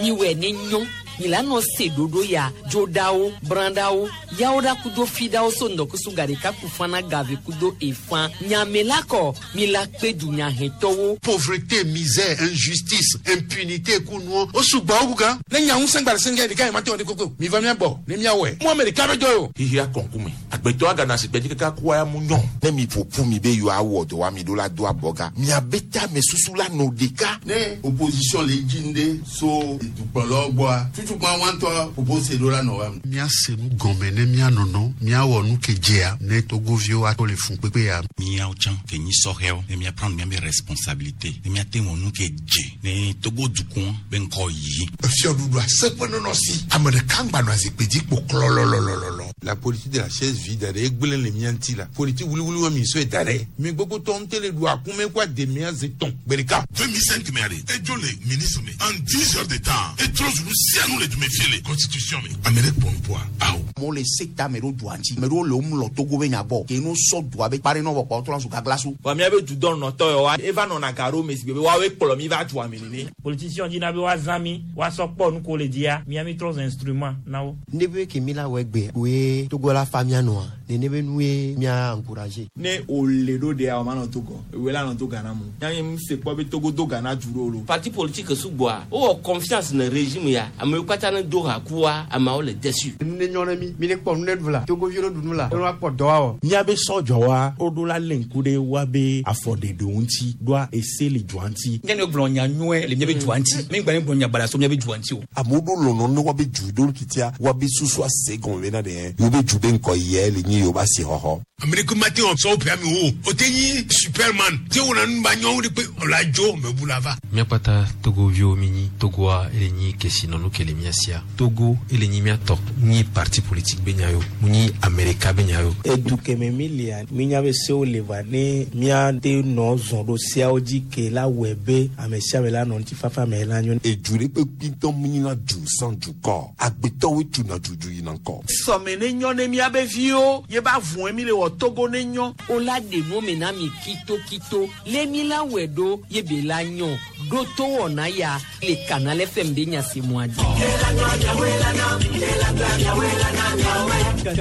Miwɛ ne nyɔ mi la nɔ se ɖoɖo ya dzoɖawo brãɖawo yawo ɖa kudo fiɖawo so ŋdɔkusu gaɖeka ku fana gave kudo efã nyame la kɔ mi la kpe dunyahɛtɔwo. Pauvreté, misère, injustice, impunité ku nuɔ o sugbɔ wu gan. Ne nya ŋusẽ gba le sɛngɛ ɖeka yi ma te wɔ ɖe koko mi va mía gbɔ ne míawɔe mu ame ɖeka be dɔ ye o. Xixia kɔnkume agbetɔ agana asigbe dzi kaka kua ya mu nyɔ. Ne mi ƒoƒu mi be yewoawɔ dɔ wa mi ɖo la do abɔga miabe tame susu la nɔ ɖeka. Ne opposition le dzi ŋɖe so dukplɔlawo gbɔa tutukpa wa ŋutɔ propose ɖo la nɔ wa me. Míase nu gɔme ne míanɔnɔ míawɔ nu ke dzea ne togoviwo ato le fun kpekpe ya. Míawo tsã ke nyi sɔhɛwo ne míaprendre míabe responsabilité ne míate wɔ nu ke dze ne Togo dukɔ be ŋkɔ yi. Efiɔɖuɖu aseƒe nɔnɔ si ame ɖeka ŋgba nɔ azikpui dzi kpo klɔlɔlɔlɔlɔ. La politique de la chaise vide ɖe egblẽ le mía ŋuti la politique wuliwuli wa mi sɔe da ɖe mi gbogbo tɔ ŋutɛ le ɖu akume kó ademea ze tɔn gbe ɖeka. 2005 mɛ ɖe edzo le ministre me en 10 heures de temps etrɔ zu nu sia nu le dume fie le constitution me ame ɖe kpɔ nuƒoa awo. Amewo le se ta ame ɖewo dua ŋuti ame ɖewo le wo mlɔ Togo be nya gbɔ ke no sɔ dua be kpa ɖe nɔ vɔ kpɔ trɔ zu gaglasu. Wa míabe dudɔnɔtɔ yawoa eva nɔna ga ɖo me si gbe be woawoe kplɔ mi va dua me nene. Politicien dina be woazã mi woasɔ kpɔ nu ko le dzia mía mi trɔ zu instrument na wo. Ne be ke mi la wɔ egbe woe Togo la fa mía nɔa nene be nue mía encourager. Ne wòle ɖo ɖea wòma nɔ Togo ewoe la nɔ to Ghana mu yanyi mu se kpɔ be Togo do Ghana du ɖo lo. Parti politique sugbɔa wowɔ confiance ne régime ya amewo katã ne do ha kua ameawo le déçu. Nu ne nyɔ ne mi mi ne kpɔ nu ne ɖu la Togoviwo ne ɖu nu la ne woakpɔ dɔ awɔ. Míabe sɔdzɔwa woɖo la lé ŋku ɖe woabe afɔɖeɖewo ŋuti ɖoa ese le dua ŋuti. Nye ne gblɔ nya nyuie le míabe dua ŋuti mi gba ne gblɔ nya baɖa so míabe dua ŋuti o. Amewo ɖo lɔlɔ ne woabe du ɖo kitia woabe susu ase gɔme bena ɖe yewobe du be ŋkɔ yɛ le nyi yewobe asixɔxɔ. Ame ɖeke mate wɔ sɔwo ƒe ame wo o te nyi superman te wɔna nu ba nyɔwo ɖe kpe ɔla dzo mebu la va. Míakpata togoviwo mi nyi Togoa ele nyi kesinɔnu ke le mía sia. Togo ele nyi míatɔ nyi parti politique be nya yo mu nyi Amerika be nya yo. Edu keme mi lia mi nya be sewo le va ne míate nɔ zɔn ɖo seawo dzi ke la wɔe be ame sia ame la nɔ ŋutifafa me la nyo. Edu ɖe kpekpe ŋutɔ mu nyina du sans dukɔ agbetɔwoe tuna dudu yina ŋkɔ. Sɔme ne nyɔ ne míabe viwo ye ba vɔe mi le wɔ Togo ne nyɔ. O la ɖe nu me na mi kitokito le mi la wɔe ɖo ye be la nyɔ ɖo to wɔna ya le Canal FM be nya si mua dzi.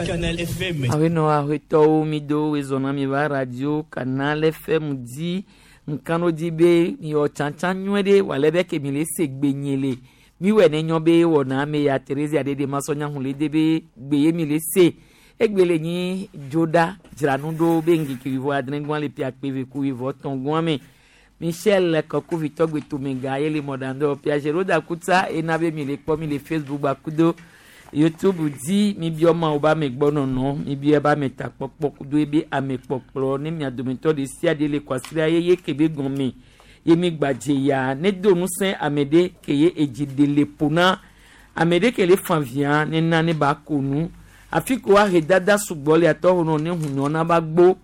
Canal FM. Awenɔ aƒetɔwo mi do wezɔna mi va radio Canal FM dzi nkano dzi be miwɔ tsatsa nyuie ɖe wòale be ke mi le se gbe nye le miwɔe ne nyɔ be wɔna me ya Theresa ɖeɖe masɔnya hun le de be gbe ye mi le se egbe le nyi dzoɖa dzranu ɖo be ŋkeke wivɔ adre gbɔn le pia kpe ku wivɔ tɔn gbɔn me Michel Kɔkuvitɔ gbetomega ye le mɔɖaŋdɔ pia Geroda Kutsa ena be mi le kpɔ mi le Facebook gbakudo YouTube dzi mi biɔ mawo be ame gbɔ nɔnɔ mi biɔ ebe ame takpɔkpɔ kudo ebe ame kpɔkplɔ ne mia dometɔ ɖe sia ɖe le kwasiɖa yeye ke be gɔme ye mi gbadze ya ne do ŋusẽ ame ɖe ke ye edzi ɖe le ƒo na ame ɖe ke le fa via ne na ne ba ko nu afi ko ahe dada sugbɔ le atɔ nɔ ne hunyɔ na ba gbo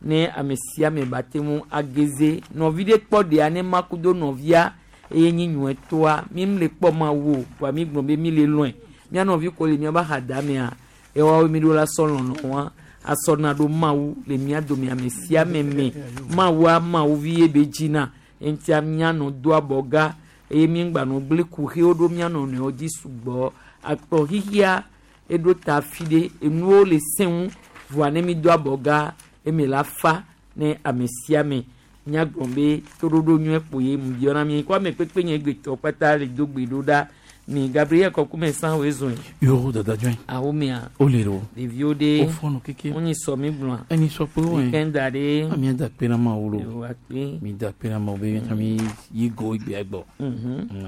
ne ame sia ame ba te ŋu ageze nɔvi ɖe kpɔ ɖea ne ma kudo nɔvia eye nyi nyuie toa mi le kpɔ ma wo wa mi gblɔ be mi le lɔe mía nɔvi ko le míabe axada mea ewoawo mi ɖo la sɔ lɔlɔ wa asɔna ɖo mawu le mía dome ame sia ame me mawua mawu vi ye be dzina eŋutia míanɔ do abɔga eye míŋgbanɔ gblẽ kuxiwo ɖo mía nɔnɔewo dzi sugbɔ akplɔ xixia eɖo ta fi ɖe enuwo le sẽŋu voa ne mi do abɔga eme la fa ne ame sia ame míagblɔ be toɖoɖo nyuie kpo ye mu biɔ na mi ko ame kpekpe nye gbetɔ kpata le do gbe ɖo ɖa mi Gabriel Kɔkume san woe zɔn Yoro dada join. Ahomea. O le ro. Ɖeviwo ɖe. O fɔnɔ keke. Wonyi sɔ mi gblɔa. Enyi sɔ kpe wɔn. Weekend ɖe. Mi da kpe na ma wolo. Yo akpe. Mi da kpe na ma wo be mi yi go igbe agbɔ.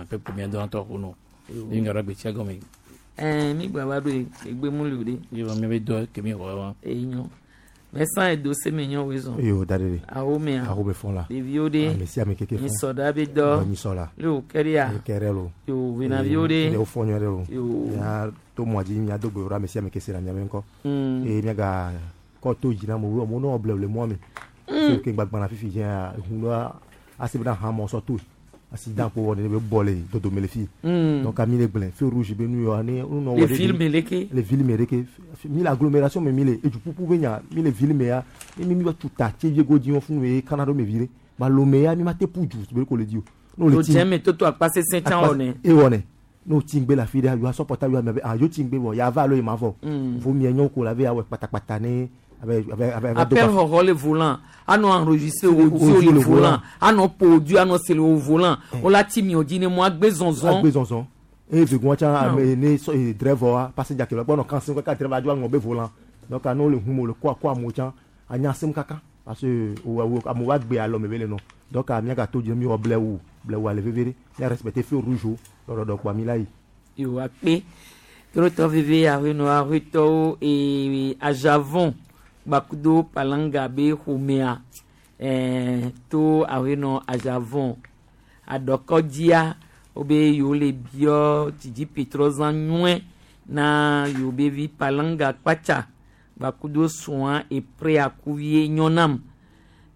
Ape kpo mi dɔn tɔ kono. Mi ŋgara gbe tia gɔme. Ɛɛ mi gba va ɖo egbe mu li o ɖe. Yi mi be dɔ ke mi wɔ wa. Eyi nyɔ. Mɛsan edo se me nyɔ woe zɔn. Yo da ɖe. Ahomea. Ahome fɔn la. Ɖeviwo ɖe. Ame sia ame keke fɔn. Nyisɔ ɖa be dɔ. Nyisɔ la. Le wo kɛ ɖea. Le kɛ ɖe lo. Yo venaviwo ɖe. Le wo fɔn nyuie ɖe lo. Yo. Mía to mɔa dzi mía do gbe ɖo ame sia ame ke se na mía be ŋkɔ. Eye mía ga kɔ to dzi na amewo amewo nɔ ble le mɔa me. So ke gbagbana fifi dzia ʋu ɖoa asi bena hã mɔ sɔ toe. Accident ko wɔ ne be bɔ le dodome le fi. Donc ami le gblẽ feu rouge be nu yɔ ne nu nɔ wɔ Le ville me leke. Le ville me leke. Mi le agglomération me mi le eduƒuƒu be nya mi le ville me ya mi mi va tu ta tse vie godzi wɔn fún ye kana ɖo me vi ɖe. Ba lome ya mi ma te ƒu du be ko le di o. N'o le ti. O jɛ me toto akpa sesẽ tsã wɔ ne. E wɔ ne. Ne wotsi ŋgbe le afi ɖea, yewoa sɔpɔta yewoa mia be ah yewo tsi ŋgbe vɔ ya va alo ye ma vɔ. Vo mia nyɔ ko la be awɔe kpatakpata ne abe abe abe abe Appel xɔxɔ le volant anɔ enregistré audio le volant anɔ ƒo audio anɔ se le wo volant wola ti miɔ dzi ne mɔ agbe zɔzɔ. Agbe zɔzɔ. Eye vegoa tsã ame ne sɔ e driver wa passenger ke le gbɔ nɔ kan sim kaka driver dzo aŋɔ be volant. Donc ne wole ʋum wole kɔ akɔ amewo tsã anya sim kaka parce que wo wo amewo va gbe alɔ me be le nɔ. Donc míagato dzi míwɔ blewu blewua le veve ɖe. Mía respecter feu rouge wo ɖɔɖɔɖɔ kpoa mi la yi. Yewo akpe. Trotɔ veve aƒenɔ aƒetɔwo ee Ajavon gbakudo Palanga be ƒomea ɛɛ to aƒenɔ Ajavon aɖɔkɔdzia wobe yewo le biɔ dzidzipetrɔzã nyɔe na yewo be vi Palanga kpatsa gbakudo srɔ̃a eprea kuvie nyɔnam.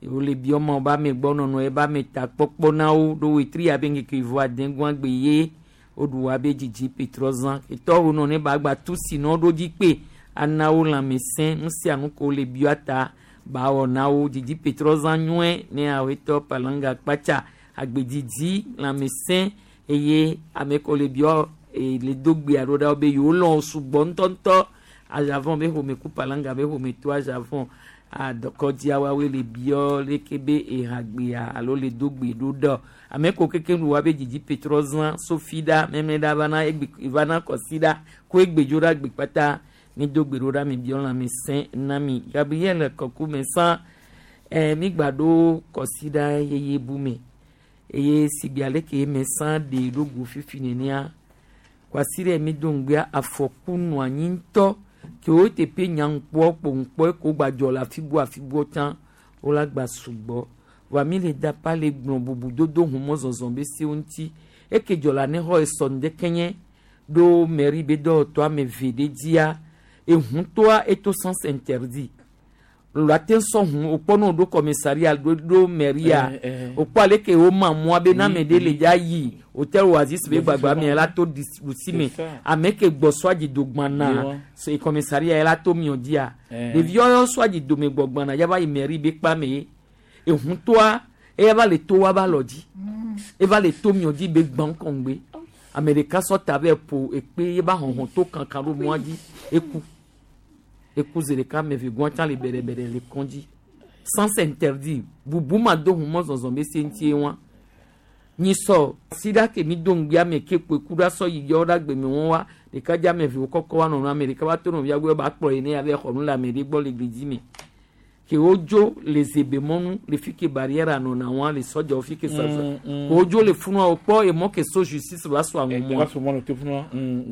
Yewo le biɔ ma wobe amegbɔnɔnɔ ebe ametakpɔkpɔ na wo ɖo wetri abe ŋkeke vɔ adegɔa gbe ye woɖu abe dzidzipetrɔzã. Etɔwo nɔ ne ba gba tu si nɔ ɖo dzi kpe ana wo lãmesẽ nu sia nu ko le biɔ ta ba wɔ na wo dzidzipetrɔzã nyɔe ne awetɔ Palanga kpatsa agbedzidzi lãmesẽ eye ame ko le biɔ e, le do gbe alo ɖa be yewo lɔ̃ wo sugbɔ ŋutɔŋutɔ Ajavon be ƒome ku Palanga be ƒome to Ajavon adɔkɔdzia woawoe le biɔ leke be ehagbea alo le do gbe ɖo ɖɔ ame ko keke nu woabe dzidzipetrɔzã sofi ɖa mɛmɛ ɖa vana egbe vana kɔsi ɖa ko egbedzo ɖa gbe kpata mi do gbe ɖo ɖa mi biɔ lãmesẽ na mi Gabriel Kɔkume sã ɛ mi gba ɖo kɔsi ɖa yeye bu me eye sigbe aleke me sã ɖe ɖo go fifi nenea kwasi ɖe mi do ŋgbea afɔku nɔ anyi ŋutɔ ke wo teƒe nyaŋkpɔ kpoŋkpɔ ko gbadzɔ le afi bu afi bu tsã wola gba sugbɔ vɔa mi le dapa le gblɔ bubu dodo humɔzɔzɔ be sewo ŋuti eke dzɔ le anexɔ esɔ ŋdeke ɖo mairie be dɔwɔtɔ ame eve ɖe dzia ehutoa eto sens interdit lɔ ate sɔ hu wokpɔ ne woɖo commissariat ɖo ɖo mairia wokpɔ aleke woma mɔa be na ame ɖe le dza yi hotel Oasis be gbagba mea la to ɖusi me ame ke gbɔ sɔ dzi do gbana se commissariat la to miɔ dzia ɖeviwo yɔ sɔ dzi dome gbɔ gbana yava yi mairie be kpa me ye ehutoa eya va le to wa va lɔ dzi eva le to miɔ dzi be gbã kɔŋgbe ame ɖeka sɔ ta vɛ ƒo ekpe ye ba hɔhɔn to kankan ɖo mɔa dzi eku eku zi ɖeka ame eve gɔn tsã le bɛɖɛbɛɖɛ le kɔndzi sens interdit bubu ma do hu mɔzɔzɔ be se ŋutie wa nyisɔ si ɖa ke mi do ŋgbea me ke kpoe ku ɖa sɔ yi yɔ ɖa gbeme wɔn wa ɖeka dze ame eve wo kɔkɔ wa nɔnɔ ame ɖeka va to nɔvia gbɔ ba kplɔ yi ne ya va xɔ nu le ame ɖe gbɔ le gli me ke wodzo le zebe mɔnu le fi ke barrière nɔna wa le sɔdzawo fi ke sɔdza ke wodzo le funua wokpɔ emɔ ke so justice va so aŋumɔa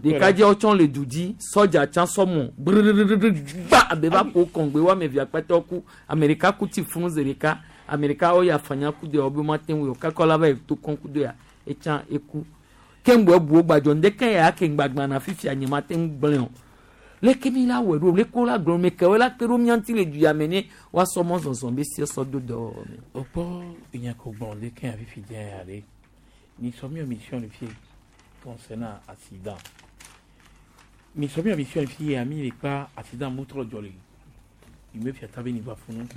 ɖekadzeawo tsɔ le du dzi sɔdza tsã sɔmɔ brrrr gba abe va ƒo kɔŋgbe wo ame evea kpatɔ ku ame ɖeka ku ti funu zi ɖeka ame ɖeka wo ya fanya ku do ya wo be mate ŋu o kakɔ la va yi to kɔn ku do ya etsã eku ke ŋgbɔ ebuwo gbadzɔ ŋdeke ya ke ŋgbagbã na fifia nye mate ŋu gblẽ o leke mi la wɔ ɖo leke wo la gblɔ me ke wo la kpe ɖo mía ŋuti le du ya me ne woasɔ mɔzɔzɔ be sie sɔ do dɔwɔwɔ me. Okpɔ enya ko gblɔ ɖe ke fifi dze ya ɖe mi sɔ mi mission le fie concernant accident mi sɔ mi mission le fie ya mi le kpa accident mu trɔ dzɔ le yi me fia ta be ni va funu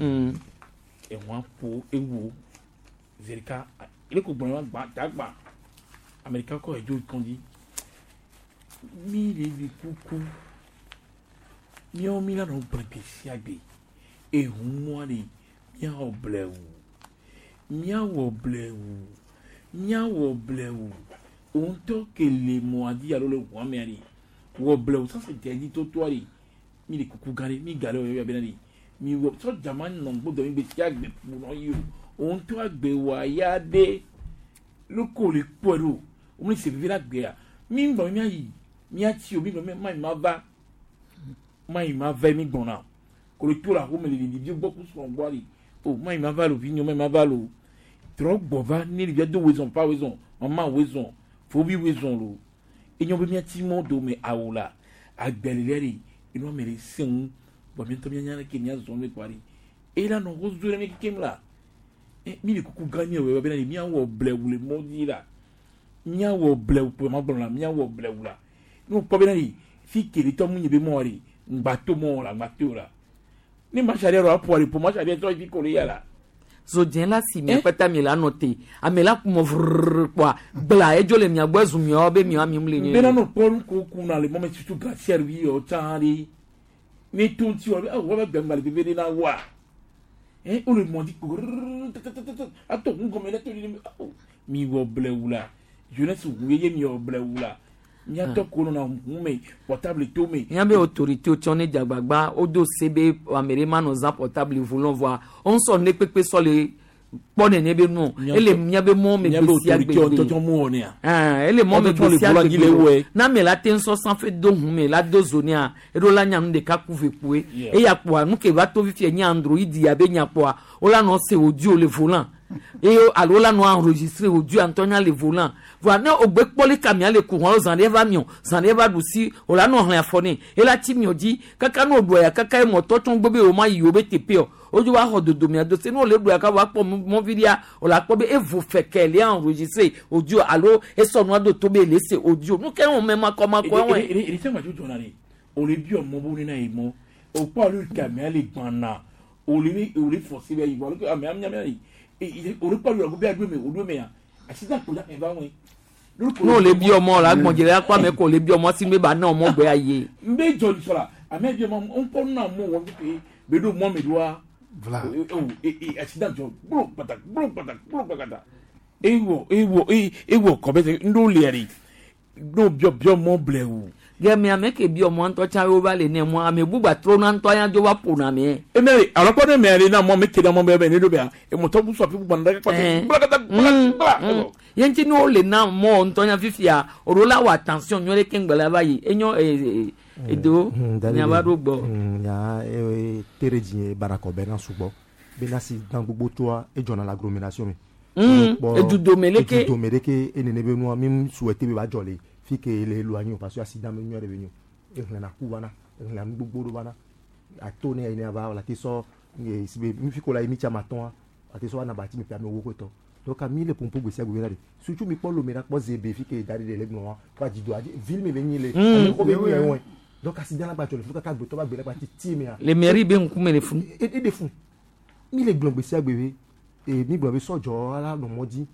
ehɔn ƒo ewo zerika ele ko gblɔ wa gba dagba amerika kɔ edzo kɔndzi mi le vi kuku míawo mi la nɔ gblẽ gbe sia gbe ehumɔa le míawɔ blewu míawɔ blewu míawɔ blewu òun ŋutɔ ke le mɔa dzi alo le ʋua mea ɖe wɔ blewu sase dze dzi totoa ɖe mi le kuku gã ɖe mi ga ɖe wɔ yɔ bena ɖe mi wɔ sɔdza ma nɔ gbɔdɔ mi gbe sia gbe ƒo nɔ yi o òun ŋutɔ agbe wɔ aya ɖe lóko le kpɔe ɖo wo mi se vivi la gbea mi gbɔ miayi miatsi o mi gbɔ mayi ma va mayi ma va mi gbɔna kolo to la xɔme le ɖevi gbɔ ku srɔ̃ gbɔ ali o mayi ma va lo vi nyɔ mayi ma va lo trɔ gbɔ va ne ɖevia do wezɔn pa wezɔn mama wezɔn fovi wezɔn lo enyɔ be miatsi mɔ dome awo la agbɛlɛlɛ de enu ame ɖe se ŋu bɔn miatɔ mianya ɖe ke miazɔn mi kpa ɖi eye la nɔ wozo ɖe mi kekem la mi le kuku gã mi wɔ bena miawɔ blɛwu le mɔ dzi la miawɔ blɛwu kpɔ ma gblɔ la miawɔ blɛwu la ne wokpɔ bena ɖe fi kele tɔ mu nye be mɔ ɖe ŋgbato mɔ la ŋgbato la ne masari yɛrɛ aƒo ɖe po masari yɛ tɔ fi ko le ya la. Zodzẽ la si mia kpata mi la nɔ te ame la kumɔ vrrr kpoa gbla edzo le mia gbɔ ezu miawo be miawo ami le Bena no kpɔ ko kuna le mɔmɛ tutu glacière bi yɔ tsã ɖe ne to ŋuti wɔ awɔ be gbɛngbɛ le veve ɖe na wa ɛ o le mɔ dzi kpo rrrr tatatatata ato ŋu gɔmɛ ɖe to ɖe awo mi wɔ blewu la jeunesse ŋu yeye mi wɔ blewu la miatɔ ko nɔna ŋu me portable to me. Míabe autorité tsɔ ne dzagbagba wodo se be ame ɖe manɔ zã portable volant vɔa wo ŋusɔ ne kpekpe sɔ le kpɔ nene be nu ele míabe mɔ me Míabe gbe sia autorité gbe ŋutɔ tsɔ mu wɔ nea. Ah, ele mɔ me Ŋutɔ tsɔ gbe le sia volant dzi le gbe wɔe. na ame la te ŋusɔ sanfɛ do hun me la do zo nea eɖo la nya nu ɖeka ku ve kpoe Yeah. eya kpoa nu ke va to fifia nye android ya be nya kpoa wola nɔ se audio le volant eye alo wola nɔ enregistré audio ŋutɔ nya le volant voa ne wògbe kpɔli kamia le ku hɔn zã ɖe va miɔ zã ɖe va ɖu si wòla nɔ hlẽ afɔ nɛ ela tsi miɔ dzi kaka ne wòɖua ya kaka ye mɔtɔ tsɔ gbɔ be wò ma yi wo be teƒe o wodzo va xɔ dodomia do se ne wòle ɖua ya kaka wòakpɔ mɔvi ɖia wòle akpɔ be evo fɛkɛ le enregistré audio alo esɔ nua do to be le se audio nu ke wɔn mɛ makɔmakɔ wɔn. Ele sɛ ŋmatso dzɔna de o le bi ɔmɔ bo nena yi mɔ o kpɔ alo kamia le gbana o le o le forcé bɛ yi bɔ alo ame ame ame yi o le kpɔ alo be ado me o do me ya accident ko la eva wɔn. Ne wòle bi ɔmɔ la gbɔndze la kpɔ ame ko wòle bi ɔmɔ si be ba ne ɔmɔ gbɛ ayi. N bɛ jɔ sɔrɔ ame bi ɔmɔ n kpɔ nuna mɔ wɔ pe bɛ do mɔ mi do wa o accident jɔ gbolo kpata gbolo kpata gbolo kpata ewɔ ewɔ ewɔ kɔbɛ sɛ n do lia de n'o biɔ biɔ mɔ bilɛ o. Gɛmɛ ame ke bi ɔmɔ ŋutɔ tsã wo va le ne mɔ ame bugba trɔ na ŋutɔ ya dzo va ƒona ame. Emɛ alɔkpɔ ne mɛ ale na mɔ mi kele mɔ bɛ bɛ ne do bɛ yan emɔtɔ busu afi gbana ɖe kpata gblakata gblakata. Ye ŋuti ne wole na mɔ ŋutɔ nya fifia o ɖo la wɔ attention nyuie ɖe keŋ la va yi enyo edo nya va ɖo gbɔ. Nya tere dzi barakɔ bɛ na sugbɔ bena si dan gbogbo tsoa edzɔna le agglomération me. Edudome leke. Edudome leke enene be nua mi souhaité be ba dzɔ le fi ke le éloigné o parce que accident me nyuie ɖe be nyo ehlẽna ku vana ehlẽna nu gbogbo ɖo vana ato ne yi ne va la te sɔ si be mi fi ko la yi mi tsa ma tɔn ate sɔ ana bati mi ƒe amewo ko tɔ donc mi le pompo gbe sia gbe la de surtout mi kpɔ lome la kpɔ zebe fi ke da ɖe le gblɔ wa kó adzido adzi ville mi be nyi le ame xɔ be nyi le wɔe donc accident la gba dzɔ le fu kaka gbetɔ ba gbe la gba titi mea. Le mairie be ŋkume le funu. E de fun mi le gblɔ gbe sia gbe be e mi gblɔ be sɔdzɔ la nɔ mɔ dzi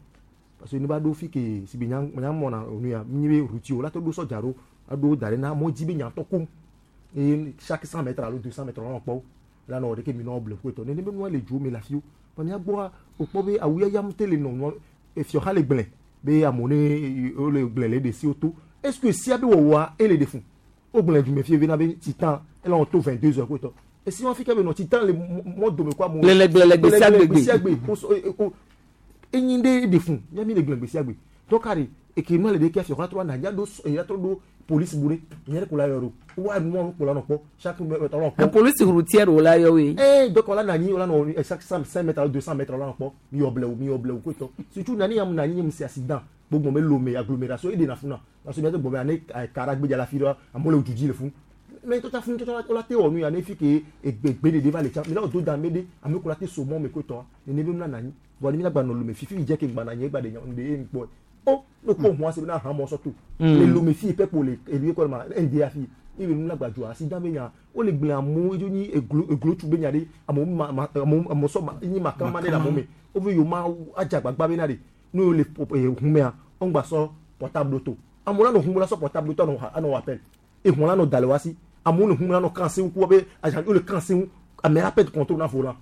parce que ne va ɖo fi ke si be nya nya mɔna nu ya mi be routier o la to ɖo sɔdza ɖo aɖo da ɖe na mɔ dzi be nyatɔ kom eye chaque 100 mètres alo 200 mètres wɔn kpɔ la nɔ ɖeke mi nɔ ble ƒoetɔ nene be nua le dzo me le afi wo vɔ mía gbɔa o kpɔ be awu yaya ŋutɔ le nɔ nua efiɔ le gblẽ be amewo ne wole gblẽ le ɖe si wo to est ce que sia be wɔwɔa ele ɖe fun o gblẽ dume fie bena be titan ele wɔn to 22 heures koetɔ esi wɔn fi ke be nɔ titan le mɔ dome ko amewo Lele gblẽ le gbe sia gbe. Gbe sia gbe o enyi ɖe ɖe fun miami le gblẽ gbe sia gbe donc ari eke nua le ɖe ke afiɔ trɔ na ya ɖo ya trɔ ɖo police bu ɖe nye ɖe ko la yɔ ɖo wa nua ko la nɔ kpɔ chaque mètre la nɔ kpɔ. Police routière wo la yɔ we. Ee donc la nanyi la nɔ chaque 5 mètres alo 200 mètres la nɔ kpɔ mi yɔ blɛwu mi yɔ blɛwu ko tɔ surtout nani yam nanyi yam se accident gbogbo me lome agglomération e de na funa parce que miate gbɔ be ane kara gbedza la fi ɖe amewo le du dzi le fun mais tɔtsa fun tɔtsa la te wɔ nu ya ne fi ke egbe gbe ɖeɖe va le tsa mi la do da me ɖe ame ko la te so mɔ me ko tɔ nene be mla nanyi vɔ ne mi la gba nɔ lome fifi dze ke gba nanyi egba de nya de ye ŋkpɔ o ne ko huan se be na hã mɔ sɔto le lome fi pɛpo le ebi kɔ ma nda fi ebe nu la gba dzo asi da be nya wo le gblẽ amewo edzo nyi eglo eglotsu be nya ɖe amewo ma ma amewo amewo sɔ ma nyi makama ɖe le amewo me wobe yewo ma adze agbagba be na ɖe ne wo le humea wo ŋgba sɔ portable to amewo la nɔ hume la sɔ portable to anɔ anɔ wɔ appel ehun la nɔ da le wa si amewo le hume la nɔ kan seŋu ku be agent wo le kan seŋu ame la perdre contrôle na volant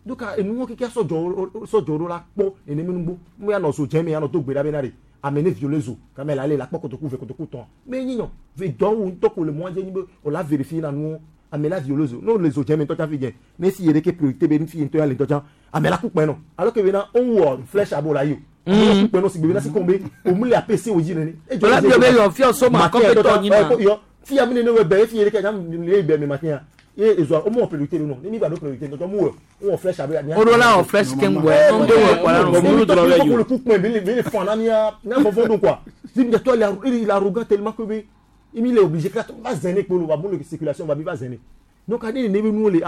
donc enuwo keke sɔdzɔ sɔdzɔ ɖo la kpɔ neneme nugbo mo ya nɔ zo dze me ya nɔ do gbe ɖa be na ɖe ame ne violé zo kame la le la kpɔ kotoku ve kotoku tɔn me nyi nyɔ ve dɔwo ŋutɔ ko le mɔa dze nyi be o la vérifier na nuwo ame la violé zo ne o le zo dze me ŋutɔ tsa fi dze ne si ye ɖeke priorité be nufi ŋutɔ ya le ŋutɔ tsa ame la ku kpɛ nɔ alors que bena o wɔ flèche abo la yi o ame la ku kpɛ nɔ si gbe bena si kɔn be o mu le apc o dzi nene. Wòle biɔ be yɔ fiɔ so ma kɔmpɛtɔ nyi na. Yɔ fi ame ne wɔ bɛ efi ye ɖeke nya ne bɛ me matin ya ye ezoa o mu wɔ priorité ɖo nɔ ne mi gba ɖo priorité ŋutɔ mu wɔ o wɔ flèche abe. O ɖo la wɔ flèche keŋ gbɔ yɛ do wɔ kɔ la nɔ. Le coup kpɛ bi le fan na mia mia vɔvɔ do quoi si mi toi il est arrogant tellement que be il est obligé que va zɛnɛ kpolo va bon le circulation va bi va zɛnɛ donc ne ne be nu le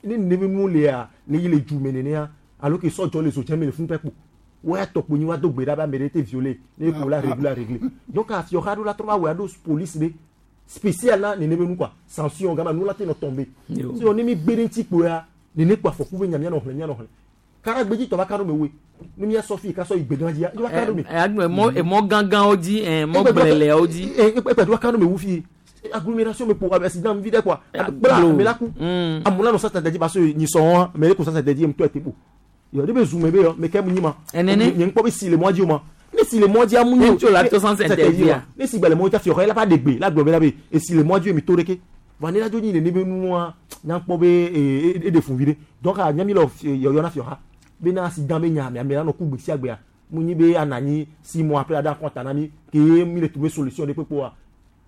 ne ne be nu le ya le yi le ju me nenea alors que sɔdzɔ le zo dze me le fun pɛ kpo wa tɔkpo nyi wa do gbe ɖa be ame ɖe te violé ne ko la régler la régler donc afiɔ xa ɖo la trɔ va wɔ aɖo police ɖe spécial na nene be nu quoi sanction gama nu la te nɔ tomber sinon ne mi gbe ɖe ŋuti kpo ya nene kpo afɔku be nya mia nɔ xlẽ mia nɔ xlẽ. Karagbedzi tɔ va ka ɖo me woe. Ne mía sɔ fi ka sɔ yi gbegã dzia, va ka ɖo me. Agbe mɔ emɔ gãgãwo dzi mɔ gblẽlẽawo dzi. Ekpe va ka ɖo me wu fi. Agglomération me po accident vi ɖe quoi. Kpla ame la ku. Amewo la nɔ sasa dzi ba so nyi sɔn wa me le ko sasa dzi ŋutɔ ete po. Yɔ ɖe be zu me be yɔ me ke mu nyi ma. Enene. Nye ŋkpɔ be si le mɔa dzi o ma. Ne si le mɔa dzi amu nyi. Ne tso la to sans interdit. Ne si gba le mɔa dzi afi xɔ la va ɖe gbe la gblɔ be la be esi le mɔa dzi mi to ɖeke. Va ne la dzo nyi nene be nua nya kpɔ be e ɖe fun vi ɖe. Donc nya mi le yɔyɔ na fiɔ ha. Be na accident be nya me ame la nɔ ku gbe sia gbea. Mu nyi be ananyi 6 mois après ada kɔnta na mi ke mi le trouver solution ɖe kpekpe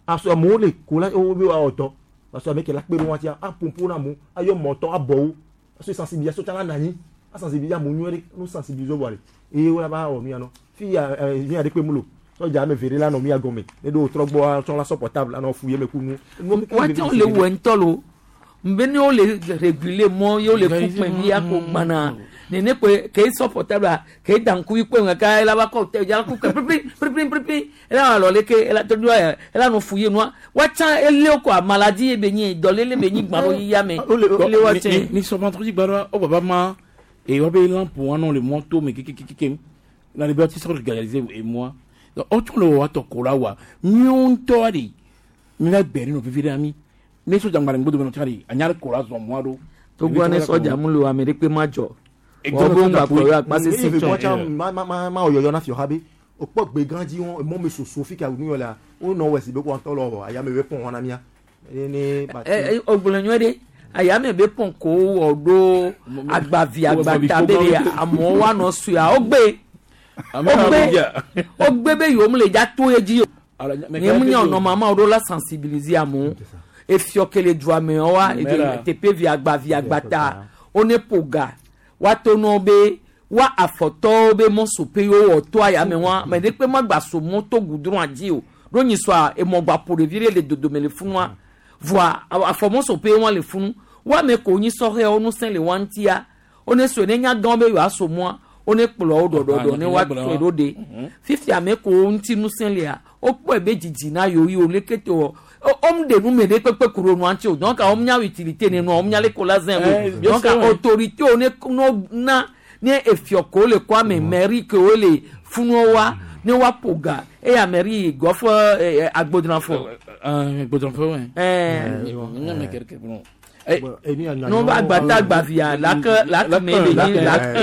aso amewo le ko la wo be woawɔ dɔ parce que ame ke la kpe ɖe wo ŋutia aƒoƒo na amewo ayɔ mɔtɔ abɔwo aso sensibilisation tsã la na anyi asensibiliser amewo nyuie ɖe no sensibiliser vɔ ɖe eye wo la va wɔ nu ya nɔ fi ya ɛ fi ya ɖe kpe mu lo sɔdza ame eve ɖe la nɔ mía gɔme ne ɖo trɔ gbɔ tsɔ la sɔ portable anɔ fu ye me ku nu. Woate ŋu le wɔ ŋutɔ lo mbe ne wole réguler mɔ ye wole ku kpẽ via ko gbana nene koe ke sɔ portable ke da ŋkuvi kpɔe kaka ela va kɔ te dza ku kpẽ pripri pripri pripri ela alɔ leke ela tɔ do ela nɔ fu ye nua woatsa ele ko a maladie ye be nyi dɔlele be nyi gbã ɖo yia me ele woatse. Ni sɔ vendredi gba ɖoa wo baba ma eye wobe lampe wa nɔ le mɔto me kekekeke na le be woati sɔ réaliser emɔa donc wotsɔ le wɔ atɔ ko la wa míawo ŋutɔ ɖe mi va gbe ɖe nɔ vivi ɖe ami ne sɔdza ŋgba le ŋgbodo me nɔ tsã ɖe anya ɖe ko la zɔ mɔa ɖo. Togbɔ ne sɔdza mu le o ame ɖe kpe ma dzɔ. Wɔn bo ŋgba kplɔ yɔ akpa sese tsɔ. Ma ma ma ma yɔyɔ na fiɔ ha be o kpɔ gbe gã dzi wɔn emɔ me soso fi ka nu yɔ la wo nɔ wɔ si be ko antɔ lɔ wɔ ayame be pɔn wɔn na mía. Ne ba Ɛ ɔgblɔ nyuie ɖe ayame be pɔn ko wɔ ɖo agbavi agbata be ɖe amewo woanɔ sua wogbe wogbe wogbe be yewo le dza to ye dzi o. Nye mu nye nɔmama wo ɖo la sensibiliser amewo efiɔ ke le dua me wa teƒe vi agbavi agbata wo ne ƒo ga woato nɔ be wa afɔtɔwo be mɔsoƒe yewo wɔ to ayame wa ame ɖe kpe ma gba so mɔ to gudrɔn dzi o ɖo nyi sɔa emɔgba ƒo ɖevi ɖe le dodome le funua voa afɔmɔsoƒe wa le funu wa ame ko nyi sɔhɛwo ŋusẽ le wa ŋutia wo ne so ne nya gã be yewoaso mɔa wo ne kplɔ wo ɖɔɖɔɖɔ ne woatɔe ɖo ɖe fifia ame ko ŋuti ŋusẽ lea wokpɔe be dzidzi na yewo yi wo leke te wɔ wɔm ɖe nu me ɖe kpekpe ku ɖo nua ŋuti o donc wɔm nya utilité ne nua wɔm nya le ko la zẽ o donc autorité wo ne no na ne efiɔ ko le kɔa me mairie ke wo le funuwo wa ne woaƒo ga eya mairie gɔfɔ agbodranfɔ. Agbodranfɔ wɛ. No va agbata agbavia lake lake me le nyi lake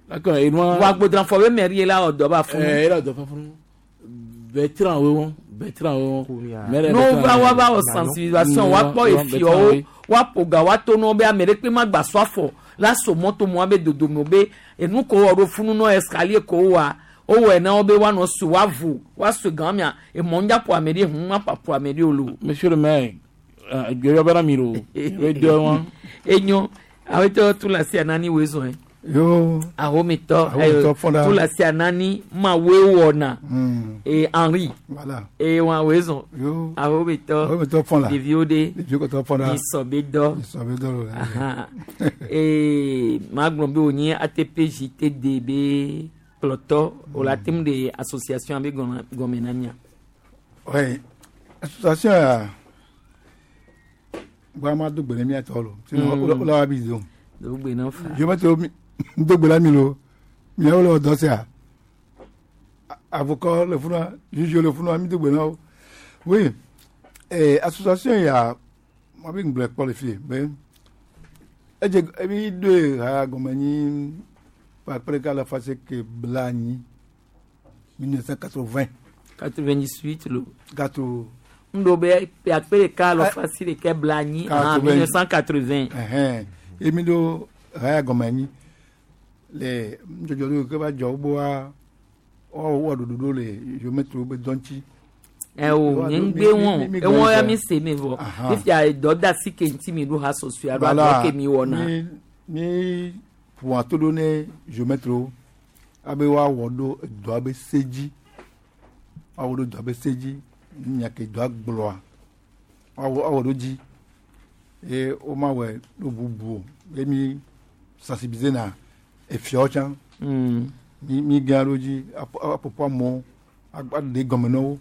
lake enua. Wa agbodranfɔ be mairie la wɔ dɔ ba funu. Ɛɛ ela dɔ fa funu. Bertrand wo Bertrand wo. No va wa va wɔ sensibilisation wa kpɔ efiɔwo wa ƒo ga wa to nɔ be ame ɖe kpe ma gba sɔ afɔ la so mɔto mɔa be dodome be enu ko wɔ ɖo funu nɔ escalier ko wa wowɔe na wo be woanɔ su woavu woasu gã mia emɔ ŋdza ƒo ame ɖe hu ma ƒo ame ɖe o lo. Monsieur le maire, gbɛyɔ bɛ na mi lo, bɛ dɔ wa. Enyo, awetɔ tu la si anani woe zɔn ye. Yo. Ahomitɔ, Ahomitɔ fɔda. tu la si anani ma woe wɔna. E Henri. Voilà. E wa woe zɔn. Yo. Ahomitɔ. Ahomitɔ fɔla. Ɖeviwo ɖe. Ɖeviwo kɔtɔ fɔla. Misɔ be dɔ. Misɔ be dɔ lo. Ahan. Ee maa gblɔ be wònye ATP JTD be kplɔtɔ o la tem de association be gɔme na mia. Oui. Association ya. Gba ma do gbe ne mia tɔ lo. Sinon o la wa bi zo. Do gbe na fa. Je vais te do gbe la mi lo. Miawo le dɔ sia. Avocat le funa, juge le funa, mi do gbe na wo. Oui. Eh association ya ma bi ngblɔ kpɔ le fi be edze ebi do ha gɔme nyi kpakple ka le fase ke bla anyi 1980. 98 lo. Gâteau. Ŋdo be akpe ɖeka alɔ fasi ɖeka bla anyi en 1980. Ɛhɛn emi do haya gɔme anyi le nudzɔdzɔ ɖewo ke va dzɔ woboa wɔwɔ ɖoɖoɖo le geometri be dɔ ŋuti. Ɛ o nye ŋgbe wɔn ewɔn ya mi se mi vɔ fifia dɔdasi ke ŋuti mi ɖo ha sɔsɔe alo adɔ ke mi wɔna. Mi mi ƒoa to ɖo ne geometriwo abe woawɔ ɖo edɔa be se dzi woawɔ ɖo dɔa be se dzi nya ke dɔa gblɔa woawɔ awɔ ɖo dzi eye womawɔe ɖo bubu o ye mi sensibiliser na efiawo tsã mi mi gã ɖo dzi aƒoƒo amewo aɖe gɔme na wo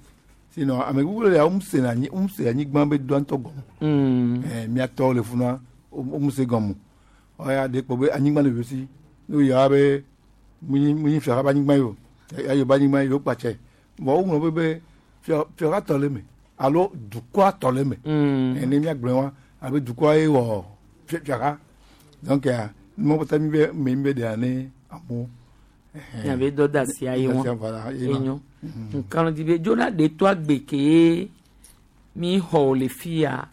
sinon ame gbogbo le ya womse na anyi womse anyigba be dɔa ŋutɔ gɔme ɛɛ miatɔwo le funa womse gɔme o ɔya ɖe kpɔ be anyigba le yosi. Ne woyɔ be munyi munyi fiaha be anyigba yi o ayo be anyigba yi o kpatsɛ vɔ woŋlɔ be be fia fiaha tɔ le eme alo dukɔa tɔ le eme. Ene míagblɔe wa abe dukɔa ye wɔ fiaha donc numɔ kpata mi be me mi be ɖea ne amewo. Miabe dɔdeasia ye Dɔdeasia, wɔn voilà, ye ma. enyo nkanu di be dzona ɖe to agbe ke mi xɔ le fia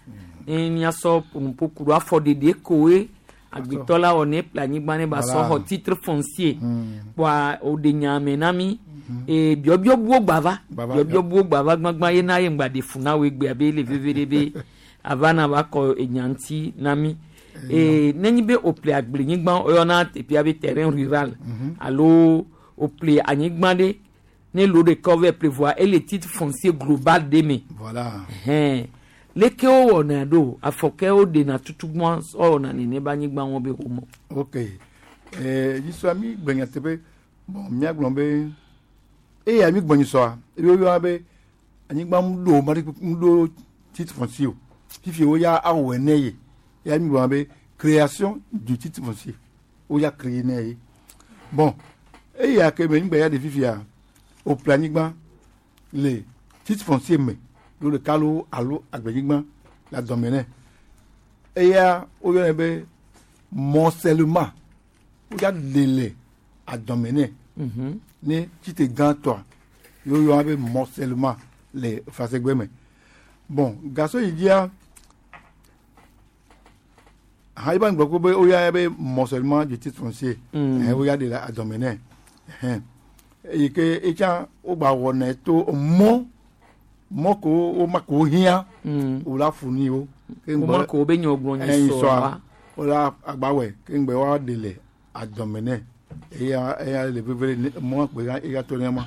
ne miasɔ ƒonuƒo ɖo afɔɖeɖe koe agbetɔ la wɔ ne ƒle anyigba ne ba sɔ Voilà. xɔ titre foncier kpoa woɖe nya me na mi ee biɔbiɔ buwo gbava Gbava, biɔbiɔ buwo gbava gbagba ye na ye ŋgba ɖe fu na wo egbea be ele veve ɖe be ava na va kɔ enya ŋuti na mi ee nenye be woƒle agblenyigba woyɔna teƒea be terrain rural alo woƒle anyigba ɖe ne lo ɖeka wova ƒle vɔa ele titre foncier global ɖe me Voilà. hɛn leke wowɔna ɖo afɔkɛ woɖena tutugbɔn sɔ wɔna nene be anyigba wɔn be homɔ. Ok nyisɔa mi gblɔ nyateƒe bon míagblɔ be eya mi gblɔ nyisɔa ebe woyɔna be anyigba mu ɖo ma ɖe mu ɖo titre foncier o fifi woya awɔe ne ye eya mi gblɔna be création du titre foncier woya créer ne ye bon eya ke me ŋgbɛ ya de fifia woƒle anyigba le titre foncier me ɖo ɖeka lo alo agblenyigba le adɔme nɛ eya woyɔnɛ be morcellement woya ɖe le adɔme nɛ ne tite gãtɔa ye woyɔna be morcellement le fasegbe me bon gasɔ yi dzia ha iba ŋgblɔ ko be woyɔna be morcellement du titre foncier woya ɖe le adɔme nɛ ɛhɛn eyi ke etsã wogba wɔnɛ to mɔ mɔ ko woma ko hiã wola funi wo ke Woma ŋgbɔ- ko wobe nyɔ gblɔ nyi ɛyin sɔa. sɔa wola agbawɛ ke ŋgbɛ wa ɖe le adɔme nɛ eya eya le veve ne mɔ kpe ya eya to ne ma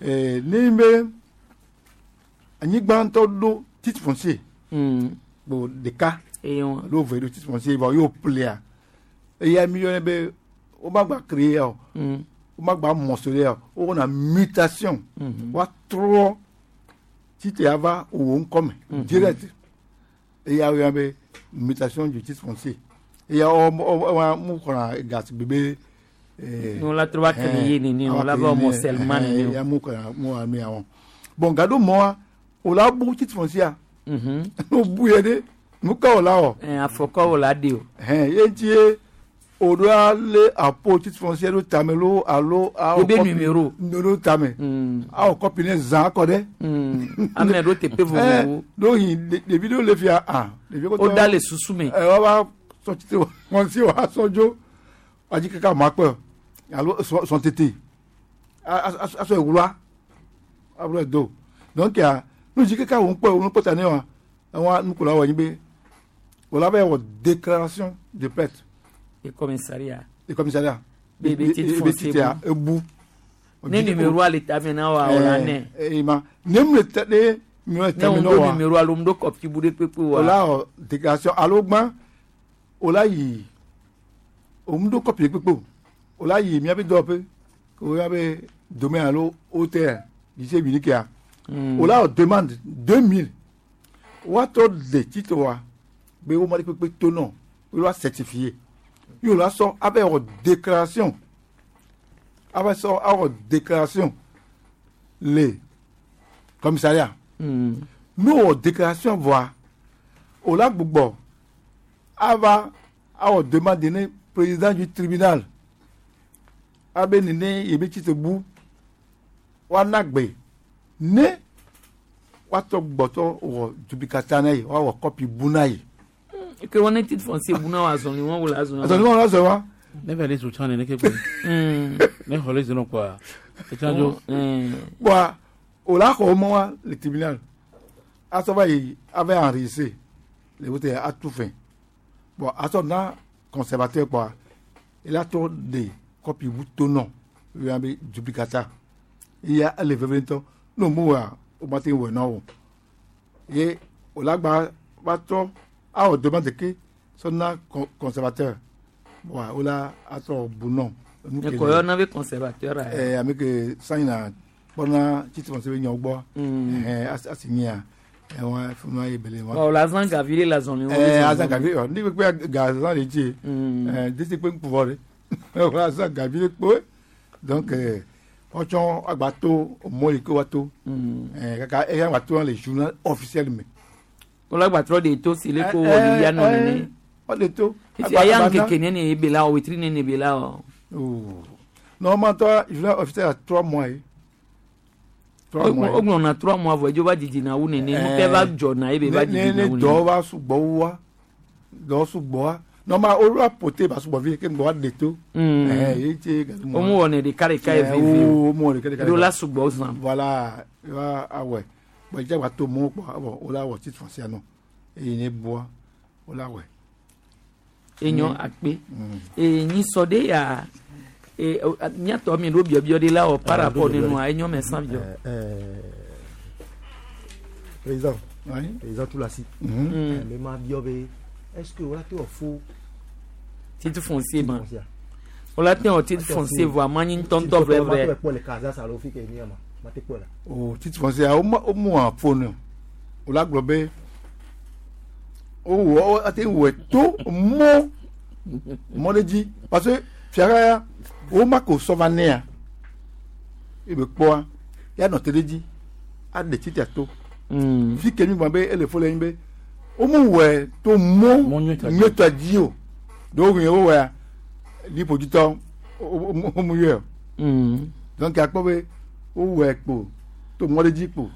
ee ne be anyigba ŋutɔ ɖo titre foncier kpo ɖeka alo ve ɖo titre foncier vɔ y'o ƒlea eya mi yɔnɛ be woma gba créer o woma gba morceler o wowɔna mutation woatrɔ titre ya va wò ŋkɔ me direct eya woyɔna be mutation du titre foncier eya wɔ wɔ mu xɔna gasigbe be. Ne wola trɔ va créer nene, wola va morcellement nene o. eya mu xɔna mu xɔna mi ya wɔn bon gado mɔa o la bu titre foncier o bu yɛ de nu ka o la wɔ. Afɔkɔ wo la de o. Hɛn ye ŋuti ye o ɖo ale apo titre foncier ɖo tame lo alo awɔ Ebe kɔpi- numéro. numéro tame awɔ kɔpi ne zã akɔ ɖe. Ame ɖo teƒe vovovowo. Ɖo yi ɖevi ɖewo le fia ah ɖevi O da le susu me. Ɛ wova sɔ titre foncier wa sɔ dzo wadzi kaka ma kpɛ alo sɔ sɔ tete asɔ ewura abúlé do donc ya nu dzi kaka wo ŋkpɔ wo ŋkpɔ ta ne wa ewa nukola wɔ nyi be wòle abe wɔ déclaration de perte Le commissariat. le commissariat Be be titre foncier titre bu. ebu Ne numéro le tame na wa o la nɛ. ee ma ne mu le tɛ ne mu le Ne tɛmɛ wo na ɖo wa numéro alo mu ɖo kɔpi bu ɖe kpekpe wa. wòle wɔ déclaration alo gbã wòle yi òmu ɖo kɔpi kpekpe o wòle yi miabe dɔwɔƒe ko miabe domaine alo hôtel lycée unique ya wòle wɔ demande 2000 woatɔ le titre wa be woma ɖe kpekpe to nɔ wòle certifié ye wòle sɔ abe wɔ déclaration abe sɔ awɔ déclaration le commissariat ne wɔ déclaration vɔa wòle gbugbɔ ava awɔ demande ne président du tribunal abe nene yebe titre bu woana gbe ne woatɔ gbɔtɔ wɔ duplicata na ye woawɔ kɔpi bu na ye. Ke wɔn ne titre foncier bu na wa azɔli wɔn wo la azɔli. Azɔli wɔn la azɔli wa. Ne fɛ le so can ne ke koyi. Ne xɔ le zenɔ kɔa. Etsan dzo. Bɔn o la xɔ mɔ wa le tribunal asɔ va yi ava enregistré le wote atu fɛn bɔn asɔ na conservateur kɔa ela tɔ de kɔpi bu to nɔ o yà be duplicata eya ele veve ŋutɔ n'o mu wa o ma te wɔ na o ye o la gba va tɔ awɔ demande ke sɔ na conservateur bɔn o la atɔ bu nɔ. Ne kɔ yɔ na be conservateur a. Ɛɛ ame ke sanyi na kpɔna titi fɔnse be nyawo gbɔ ɛɛ asi nyia ɛwɔn funu ye bele wa. Ɔ la zan gavi le la zɔli. Ɛɛ azan gavi ɔ ne kpe ga zan le dzi ɛɛ desi kpe ŋkuvɔ de. Wòle azã gavi ɖe kpoe. Donc wotsɔ agba to mɔ yi ke woato. Kaka eya agba to le journal officiel me. Wòle agba trɔ ɖe to si le ko wɔ yia nɔ nene. Wòle to. Efi aya ŋkeke nene ebe la o wetri nene be la o. Normalement toi journal officiel a 3 mois ye. 3 mois. O gblɔna 3 mois vɔ edzo va didina wu nene nu ke va dzɔna ebe va didina Ne wu dɔ nene. va sugbɔ wua dɔ sugbɔa normal o la pote ba sugbɔ vi ke ŋgbɔ wa ɖe to. Ye tse gari Wo mu wɔnɛ ɖeka ɖeka eve eve o. Wo mu wɔ ɖeka ɖeka. Ɖo la sugbɔ zã. Voilà, wa awɔe. Bɔn ìdí àgbà tó mɔ kpɔ awɔ o la wɔ titre foncier nɔ eye ne bua o la wɔe. Enyo akpe. Ee nyisɔ de ya ee miatɔ mi ɖo biɔbiɔ de la wɔ par rapport ne nua enyo mɛ san biɔ. Président. Oui. Président Toulassi. Mais ma biɔ be est-ce que wòle te wɔ fo Titre foncier ma. Wòle te wɔ titre foncier vɔ ama nyi ŋutɔŋutɔ vrai vrai. Ma te kpɔ le Kaza alo fi ke ni ama. Ma te kpɔ la. O titre foncier o ma o mu afo ne o la gblɔ be o wɔ o ate wɔ to mɔ mɔ ɖe dzi parce que fiara ya o ma ko sɔ va nea ebe kpɔa ya nɔ te ɖe dzi aɖe titre to. Fi ke mi gblɔ be ele fo le nyi be o mu wɔe to mɔ nyuietɔ dzi o ɖewo ɣi wo wɔa liƒodzitɔ o mu yɔe o. Donc akpɔ be wowɔe kpo to mɔ ɖe dzi kpo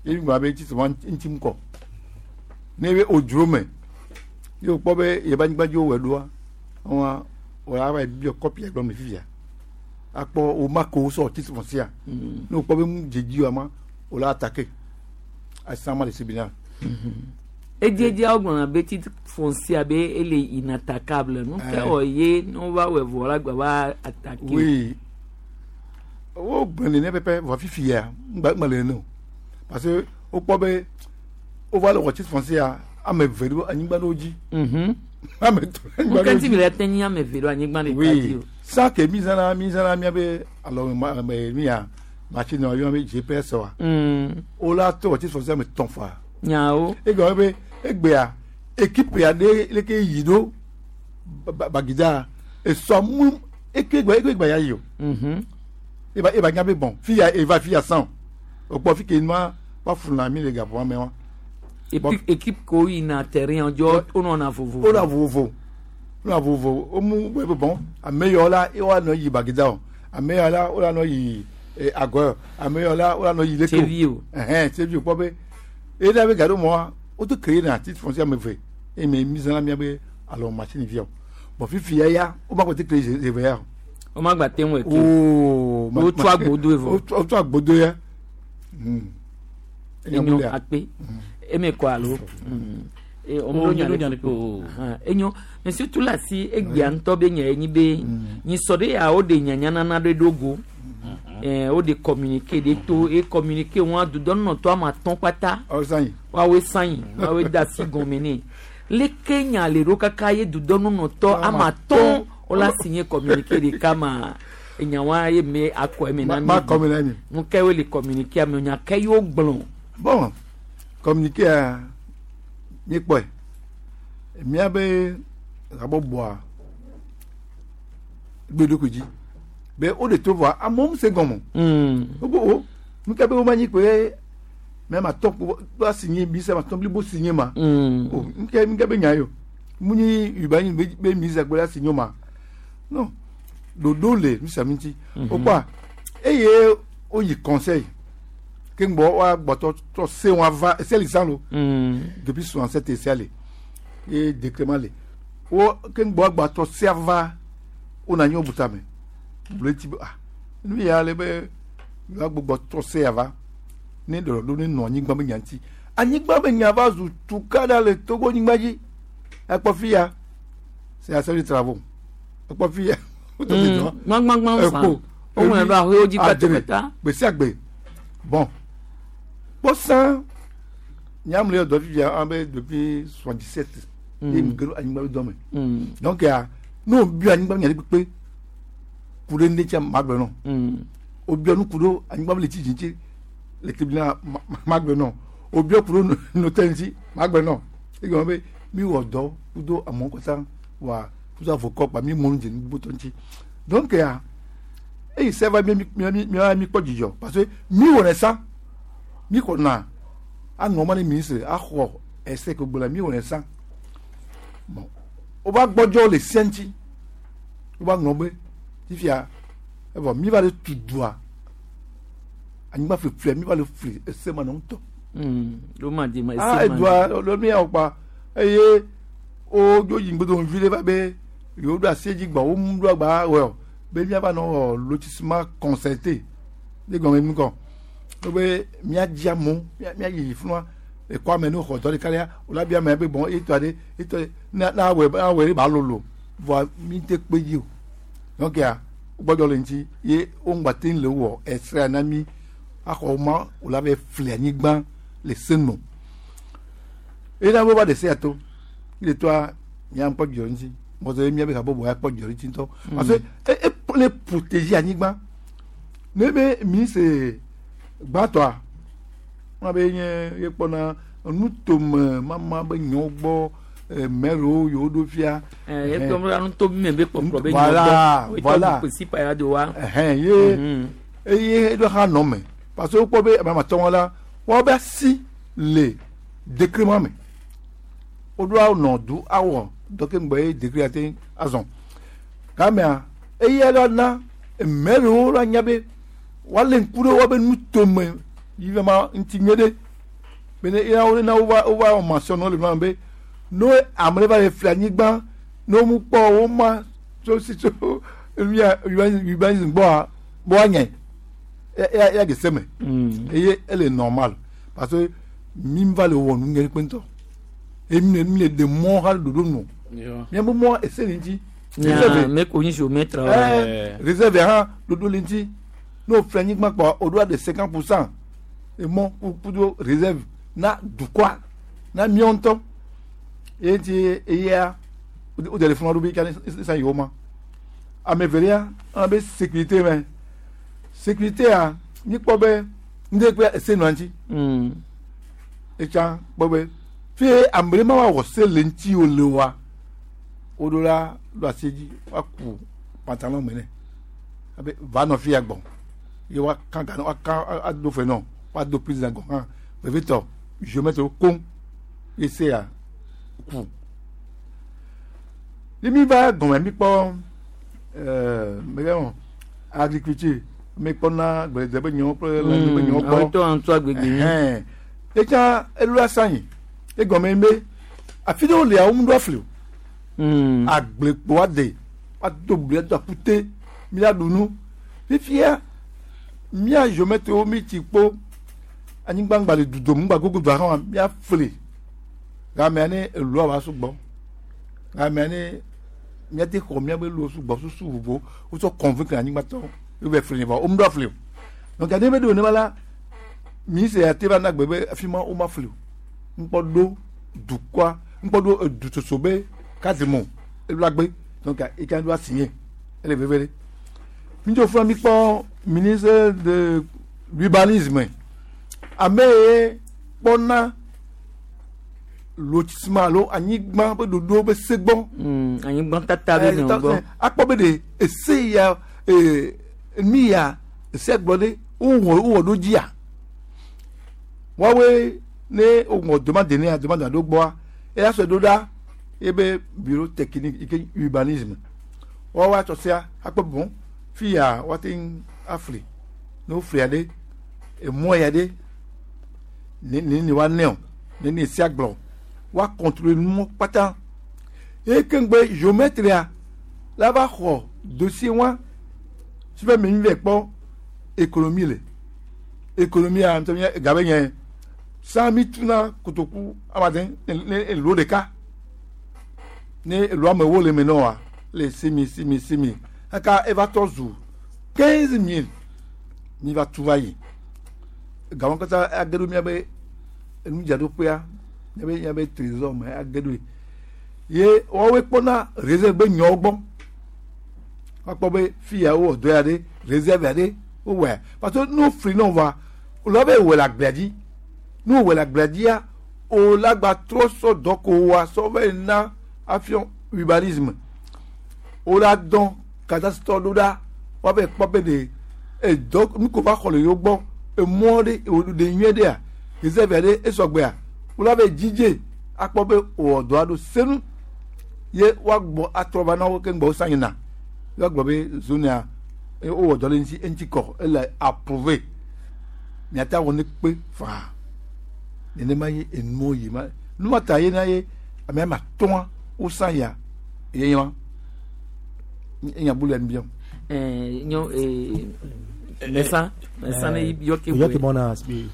ye mi gblɔ be titre ma ŋuti ŋkɔ ne be odzro me ye wòkpɔ be yebe anyigba dzi wowɔe ɖoa wɔn wòle ava biɔ kɔpi gblɔ me fifia akpɔ wo ma ko sɔ titre foncier ne wòkpɔ be mu dzedzi wa ma wòle attaquer asan ma le tribunal. Ediedzia wogblɔna be titre foncier be ele inattaquable nu ke wɔ ye ne wova wɔe vɔ la gba va attaquer. Oui, wo gblɔ nene pɛpɛ vɔ fifia ŋgba ŋgba le nene o parce que wokpɔ be wova le wɔ titre foncier ame eve ɖo anyigba ɖewo dzi. Ame etɔ̃ ɖo anyigba ɖewo Ŋkɛnti dzi. mi le te nyi ame eve ɖo anyigba ɖeka dzi Oui, o. sans que mi zãna miabe alɔ me mi ya machine wa yɔna be GPS wa. Wola to wɔ titre foncier ame etɔ̃ fa. Nyawo. Egɔme be egbea équipe ya ɖe leke yi ɖo Bagida esɔ mu eke gba eke gba ya yi o. Eba nya be bon fi ya eva fi ya san o kpɔ fi ke nua wa funa mi le gaƒoa me wa. Et puis équipe ko yina terrain dzɔ wonɔna vovovo. Wona vovovo wona vovovo wo mu be bon ame yawo la ye wa nɔ yi Bagida o ame yawo la wo la nɔ yi Agɔ ame yawo la wo la nɔ yi leke Tsevi o. Ɛhɛn Tsevi o kpɔ be eye ɖe be gaɖo mɔ wa woto créé na titre foncier ame eve eye me mi zãna mia be alɔ machine via o bon fifi ya ya wo ma kɔ te créé eve ya o. Wo ma gba te ŋu eke. Ooo Wotsɔ agbodo evɔ. Wotsɔ agbodo ya. Enyo akpe. Eme kɔ alo. E Oh, mi ɖo nya ɖe o. Enyo monsieur Tulasi egbea ŋutɔ be nya ye nyi be nyisɔ ɖe ya wo ɖe nyanyanana ɖe ɖo go. Wo ɖe communiqué ɖe to e communiqué wɔn dudɔnɔtɔ ame atɔ̃ kpata. Woawoe sanyi woawoe da asi gɔme nɛ. Leke nya le ɖo kaka ye dudɔnunɔtɔ ame atɔ̃ wola signé communiqué ɖeka ma enyawa ye me akɔ eme na mi. Ma kɔ eme na mi. Nu ke wo le communiqué ame nya ke yewo gblɔ. Bon, communiqué ya míekpɔe míabe habɔbɔa gbe ɖokui dzi be wo ɖe to vɔa amewo se gɔme o wo o nu ke be wo ma nyi koe mɛ ma tɔ kpo ba signé bi se ma tɔ blibo signé ma o nu ke be nya ye o mu nyi yuba nyi be mi se kpo la signé o ma non ɖoɖo le nu sia nu ŋuti o kpɔa eye woyi conseil ke ŋgbɔ wa gbɔtɔ tɔ se wa va ese li san lo depuis 67 ese le ye décret le wo ke ŋgbɔ gbɔtɔ se va wo na nyo buta me blo ti be ah nu ya le be wa gbɔgbɔ tɔ se ya va ne ɖɔɖɔ ne nɔ anyigba be nya ŋuti anyigba be nya va zu tukaɖa le Togo nyigba dzi ekpɔ fi ya c'est la seule travaux ekpɔ fi ya Gbãgbãgbã sa. Woŋlɔe ɖo aƒewo dzi kpata. Gbe sia gbe bon kpɔsã nyamle yɔ dɔ fifia an bɛ depuis 77 ye mu gero anyigba be dɔ me donc ya ne o bi anyigba be nya ɖe kpekpe ku ɖe ne tsia ma gblɔ nɔ o biɔ nu ku ɖo anyigba be le tsi dzi ŋuti le tribunal ma gblɔ nɔ o biɔ ku ɖo notaire ŋuti ma gblɔ nɔ egɔme be mi wɔ dɔ kudo amewo katã wa Kudo avocat kpa mi mɔnu dze nugbotɔ ŋuti. Donc ya eyi se va mi mi mi mi kpɔ dzidzɔ parce que mi wɔnɛ sa mi xɔna aŋɔ ma ne ministre axɔ ese ke gblɔ mi wɔnɛ sa bon wova gbɔdzɔ le sia ŋuti wova ŋlɔ be fifia evɔ mi va le tu dua anyigba fliflia mi va le fli ese ma nɔ ŋutɔ. Ló ma di ma ah ese ma. Edua lɔ mi yà kpa eye wo dzo yi ŋgbedo vi ɖe va be yewo ɖo asi edzi gbɔ wo mu ɖo agba wɔ o be miava nɔ wɔ lotissement concerté ne gɔme mi kɔ wo be miadzi amewo miayi fún ekɔ ame ne xɔ dɔ ɖeka ɖea wo la bia ame be bɔn etɔ ɖe etɔ ɖe na na awɔe awɔe ɖe ba lolo vɔa mi te kpe dzi o donc ya gbɔdɔ le ŋuti ye wo ŋgba te le wɔ esrea na mi axɔ ma wo la be fli anyigba le senu eye na wo va de se ya to yi le toa mía kpɔ dzidzɔ ŋuti mɔzɔ ye mía be habɔbɔ ya kpɔ dzidzɔ ŋuti ŋutɔ parce que e e le protéger anyigba ne be ministre gbãtɔa wọn be nye ye kpɔna nutome mama be nyawo gbɔ mɛriwo yewo ɖo fia. Ɛ e kpɔ nuto mi be kpɔkplɔ be Voilà, voilà. Kwesi pa ya do wa. Ɛhɛn ye eye eɖo hã nɔ me parce que wokpɔ be ame atɔ̃ la woabe asi le décret ma me woɖo anɔ du awɔ dɔ ke ŋgbɛ ye décret ate azɔ gamea eye la na mɛriwo la nya be woalé ŋku ɖe woabe nutome yi va ma ŋuti nyuie ɖe be ne ena wo na wova wova wɔ mention le ma be no ame ɖe va le fli anyigba ne wo mu kpɔ wo ma tso si tso mia urbanisme gbɔa bɔ anya ya ya gese me eye ele normal parce que mi va le wɔ nu nyuie kpe ŋutɔ eye mi le mi le ɖe mɔ hã le ɖoɖo nu miabe mɔ ese le ŋuti. Nya me ko nyi géomètre. Ɛɛ réserve hã ɖoɖo le ŋuti n'o fli anyigba kpɔ o ɖo de 50% emɔ kudo réserve na dukɔa na miawo ŋutɔ eye ŋuti eyea o de le fún wa ɖo be kani sisan yiwo ma ame evelia ɔna be sécurité mɛ sécurité a mi kpɔ be ŋdɛ kpe ese nɔ ŋuti etsa kpɔ be fie ame ɖe ma wa wɔ se le ŋuti o le wa o ɖo la ɖo asi dzi wa ku pantalon me nɛ abe va nɔ fia gbɔ ye wa kan ga wa kan ado fɛ nɔ wa do président gɔ hã vevitɔ géomètre koŋ ye se ya ku ni mi va gɔmɛ mi kpɔ ɛɛ mɛ kɛ agriculture mi kpɔ na gbɛdɛ be nyɔwo kple lãnyi be nyɔwo gbɔ Awetɔ antɔ agbègbè yín. ɛhɛn etsa elu asanyi egɔmɛ be afi ɖewo lia wo mu ɖo afli o agblekpo ade ado bli ado akute mi la ɖu nu fifia mía géomètre mi tsi kpo anyigba ŋgba le dudom ŋgba gogo do hã mía fli gamea ne elua va sugbɔ gamea ne míate xɔ míabe luwo sugbɔ susu vovo wotsɔ convaincre anyigbatɔwo wo be fli ne vɔ wo mu ɖo afli o donc ne be ɖo ne ma la ministre ya te va na gbe be afi ma wo ma fli o ŋkpɔ ɖo dukɔa ŋkpɔ ɖo edutsotso be cadre mo elu agbe donc eka ɖo asigné ele veve ɖe mi dzo fún mi kpɔ ministre de l'urbanisme ame ye kpɔna lotissement alo anyigba be ɖoɖo be se gbɔ. Anyigba tata be nɔ gbɔ. Akpɔ be ɖe ese ya ee mi ya ese gblɔ ɖe wowɔ wowɔ ɖo dzia woawoe ne wowɔ demande ne ya demande ɖo gbɔa eya sɔ ɖo ɖa ebe bureau technique yi ke urbanisme woawoe atsɔ sia akpɔ bon fi ya woate ŋu afli ne woflia ɖe emɔ ya ɖe ne ne ne woanɛ o ne ne sia gblɔ woa contrôler numɔ kpata eye keŋgbe géomètre la va xɔ dossier wa si be mi vɛ kpɔ économie le économie a ŋutɔ nye gabe nye san mi tuna kotoku amaden ne ne elo ɖeka ne elo amewo le me nɔ wa le simi simi simi kaka eva tɔ zu 15 000 mi va tu va yi gawo katã age ɖo miabe enudzraɖoƒea miabe miabe trésor me age ɖo ye woawoe kpɔna réserve be nyawo gbɔ woakpɔ be fi ya wowɔ dɔ ya ɖe réserve ya ɖe wowɔe parce que ne wofli ne wova wòle be wòle agblea dzi ne wòle agblea dzia wòle agba trɔ sɔ dɔ ko wa sɔ va yi na afiɔ urbanisme. Wola dɔn cadastre ɖo ɖa woave kpɔ be ɖe edɔ nu ko va xɔ le yewo gbɔ emɔ ɖe ɖe nyuie ɖea réserve ɖe esɔgbea wola ve dzidze akpɔ be wòwɔ dɔa ɖo senu ye woagbɔ atrɔ va na wo keŋ gbɔ wosa yina woagblɔ be zone ya wowɔ dɔ ɖe eŋuti eŋuti kɔ ele approuvé miate awɔ ne kpe faa nenema ye enuwo yi ma numa ta ye na ye ame ama tɔa wosa ya ye nye ma enya bu le nu biam. Ɛɛ nyɔ ee mɛsa mɛsa ne yɔ ke yɔ ke bɔna be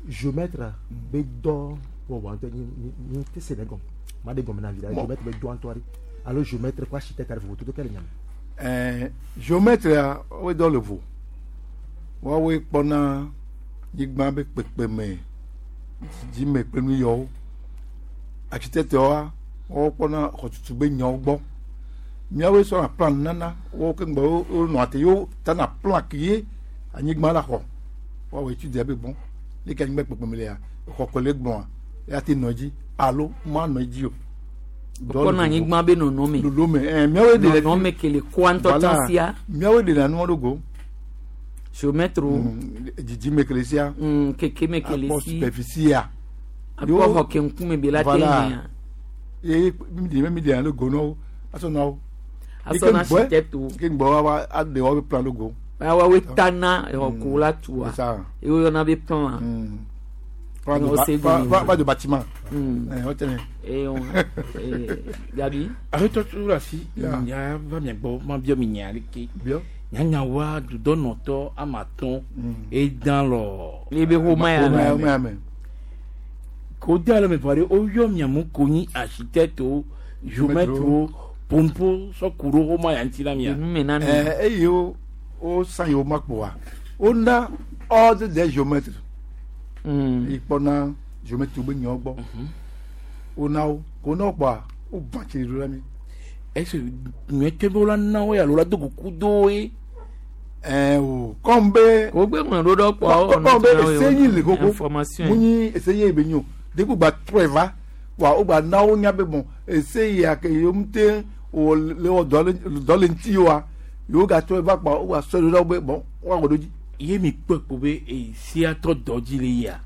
géomètre be dɔ wɔwɔ ŋutɔ nyi nyi te se ne gɔme ma de gɔme na vi la géomètre be dɔ ŋutɔ ɖe alo géomètre kple architecte ɖe vovototo ke le nya me. Ɛɛ géomètre ya woe dɔ le vo woawoe kpɔna nyigba be kpekpeme dzidzime kple nu yawo architecte wa woawo kpɔna xɔtutu be nyawo gbɔ míawoe sɔna plan nana woawo ke ŋgbɔ wonɔa te yewo tana plan ke ye anyigba la xɔ woawɔ étude be bon leke anyigba kpekpeme lea xɔ ko le gblɔa ya te nɔ edzi alo ma nɔ edzi o. Kpɔna anyigba be nɔnɔme. Nɔnɔme ɛɛ míawoe de nɔnɔme ke le koa ŋutɔ tsã sia. Míawoe ɖena nua ɖo go. Géomètre. Dzidzime ke le sia. Kekeme ke le Akpɔ si. superficie ya. Akpɔ xɔ ke ŋkume be la te hɛa. Ye mi de mi de ɖo go nɔwo asɔ na wo. Asɔ na architecte wo. Ke ŋgbɔ wa wa aɖe woabe plan ɖo go. Woawoe tana exɔ ko la tua. Ye woyɔna be plan. Plan de bâtiment. Ɛɛ Eh, Gabi. Aƒetɔ tso ɖe asi nya va mia gbɔ ma biɔ mi nya ɖeke. Nyanyawoa dudɔnɔtɔ ame atɔ̃ edã lɔ. Ebe xɔme ya me. Ko de ale me vɔ ɖe woyɔ mia mu ko nyi architecte géomètre pompo sɔ ku ɖo xɔme ya ŋuti na mia. Ɛɛ eye wo wo san yewo ma kpoa wona ordre des géomètres. Yi kpɔna géomètre be nyawo gbɔ. Wona wo ko wona wo kpoa wo gbã tsi ɖo la mi. Est-ce nyuietɔ be wola na wo ya alo la do kuku do ye. Ɛɛ o kɔn be. Ko gbe ŋlɔ ɖo ɖɔ kpoa kɔn be ese nyi le koko information. Mu nyi ese ye be nyi o depuis gba trɔe va wa wo gba na wo nya be bon ese ya ke yewo ŋute wò le wɔ dɔ le ŋuti wa yewo gatrɔe va kpoa wo gba sɔe ɖo ɖa wo be bon woawɔ ɖo dzi. Ye mi kpɔe kpo be esia tɔ dɔ dzi le yia.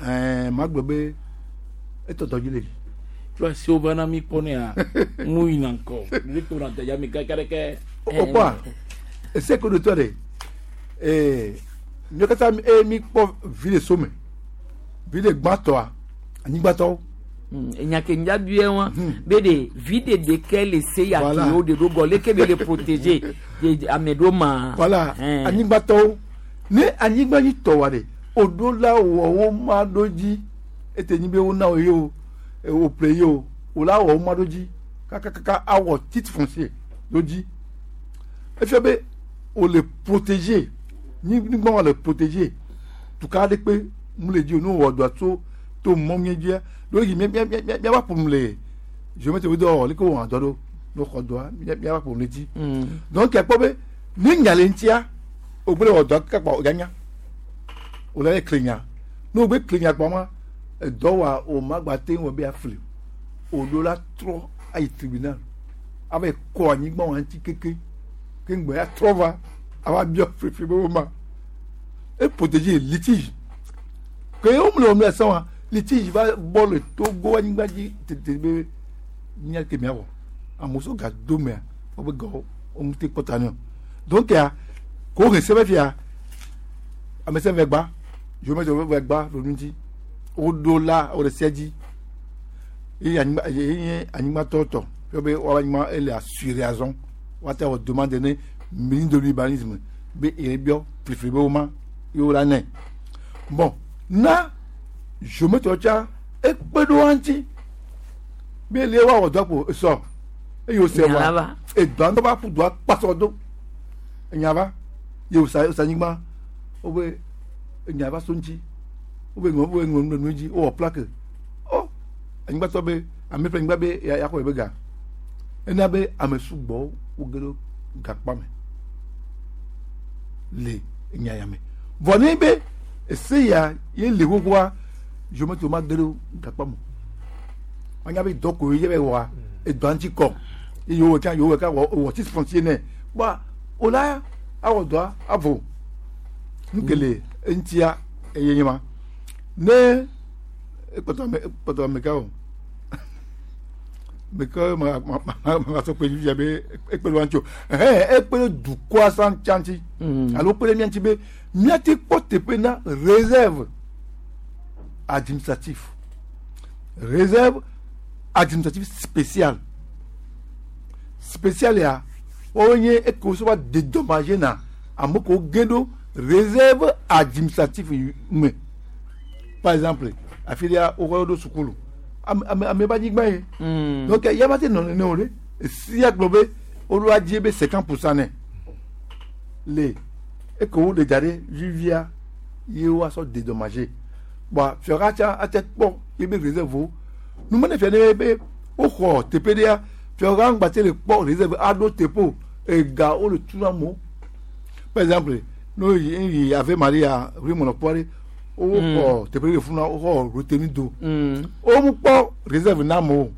Ɛɛ ma gblɔ be etɔ dɔ dzi le yi. Tso asi wo va na mi kpɔ nea mu yina ŋkɔ ne to na daya mi kaka ɖeke. O kpɔa ese ko do tɔ de ee míawo katã eye mi kpɔ vi le so me vi le gbãtɔa anyigbatɔwo. Enya ke ŋdza bia wa be de vi de ɖeke le se ya ke wo de ɖo gɔ leke be le protéger de ame ɖo ma. Voilà anyigbatɔwo ne anyigba nyi tɔ wa de o ɖo la wɔ wo ma ɖo dzi ete nyi be wo na wo ye o wo ƒle ye o wo la wɔ wo ma ɖo dzi kakakaka awɔ titre foncier ɖo dzi efia be o le protéger nyigba wa le protéger tuka ɖe kpe mu le dzi o ne wɔ dɔa tso to mɔ mía dzia ɖo yi mía mía mía mía va ƒom le géomètre wo dɔ wɔ leke wɔ dɔ ɖo ne xɔ dɔa mía mía va ƒom le dzi donc akpɔ be ne nya le ŋutia o gbe le wɔ dɔa kaka kpɔ o ganya o le kle nya ne o gbe kle nya kpɔ ma edɔ wa o ma gba te wɔ be afli o ɖo la trɔ ayi tribunal ava kɔ anyigba wa ŋuti keke ke ŋgbɛ ya trɔ va ava biɔ fefe be wo ma e protéger litige ke wo mu le wɔm le sɔn wa litige va bɔ le Togo anyigba dzi tete be mía ke mía wɔ amewo sɔ ga do mea wobe gawo wo ŋuti kpɔta ne o donc ya ko he sɛbɛ fia ame sɛbɛ gba géomètre bɛ gba ɖo ŋuti woɖo la wo le sia dzi ye anyigba ye nye anyigbatɔ tɔ fia be woabe anyigba ele assuré azɔ woate wɔ demande ne ministre de l'urbanisme be ye biɔ flifli be wo ma ye wo la nɛ bon na géomètre tsa ekpe ɖo wa ŋuti be le wa wɔ dɔ kpo esɔ eye wòse wa edɔa ŋutɔ va ƒu dɔa kpasɔ do enya va ye wòsa wòsa anyigba wobe enya va so ŋuti wobe ŋlɔ wobe ŋlɔ nu ɖe nu dzi wowɔ plaque ɔ anyigbatɔ be ame ƒe anyigba be ya yaxɔ ye be ga ena be ame sugbɔ woge ɖo gakpa me le enya ya me vɔ ne be ese ya ye le xoxoa géomètre ma ge ɖo gakpa me wanya be dɔ ko ye be wɔa edɔa ŋuti kɔ Ye yewo wɔ tsã yewo wɔ ka wɔ wɔ titre foncier nɛ. Kpɔa o la awɔ dɔa avo. Nu ke le eŋutia eye nye ma. Ne ekpɔtɔ ame ekpɔtɔ ame ka o. Meke ma ma ma ma sɔ kpe fifia be ekpe ɖe wa ŋuti o. Ɛhɛn ekpe ɖe dukɔa sa ŋuti ŋuti. Alo kpe ɖe mía ŋuti be míate kpɔ teƒe na réserve administratif. Réserve administratif spéciale. Spécial ya woawoe nye eke wosɔ va dédommagé na ame kewo ge ɖo réserve administratif me. Par exemple, afi ɖea woxɔ ɖo sukulu. Ame ame ame ƒe anyigba ye. Donc ya va te nɔ nene o ɖe. Esia gblɔ be woɖo adzi be 50% nɛ. Le eke woɖe da ɖe vivia ye woasɔ dédommagé. Bɔn fiaha tsã ate kpɔ ye be réserve wo. Numene fia ne be woxɔ teƒe ɖea fiaha ŋgba te le kpɔ réserve aɖo teƒe o. Ega wole tu na amewo. Par exemple, ne woyi yi Ave Maria ʋli mɔnɔ kpɔ ɖe woxɔ teƒe ɖe le funu woxɔ retenu do. Womu kpɔ réserve na amewo.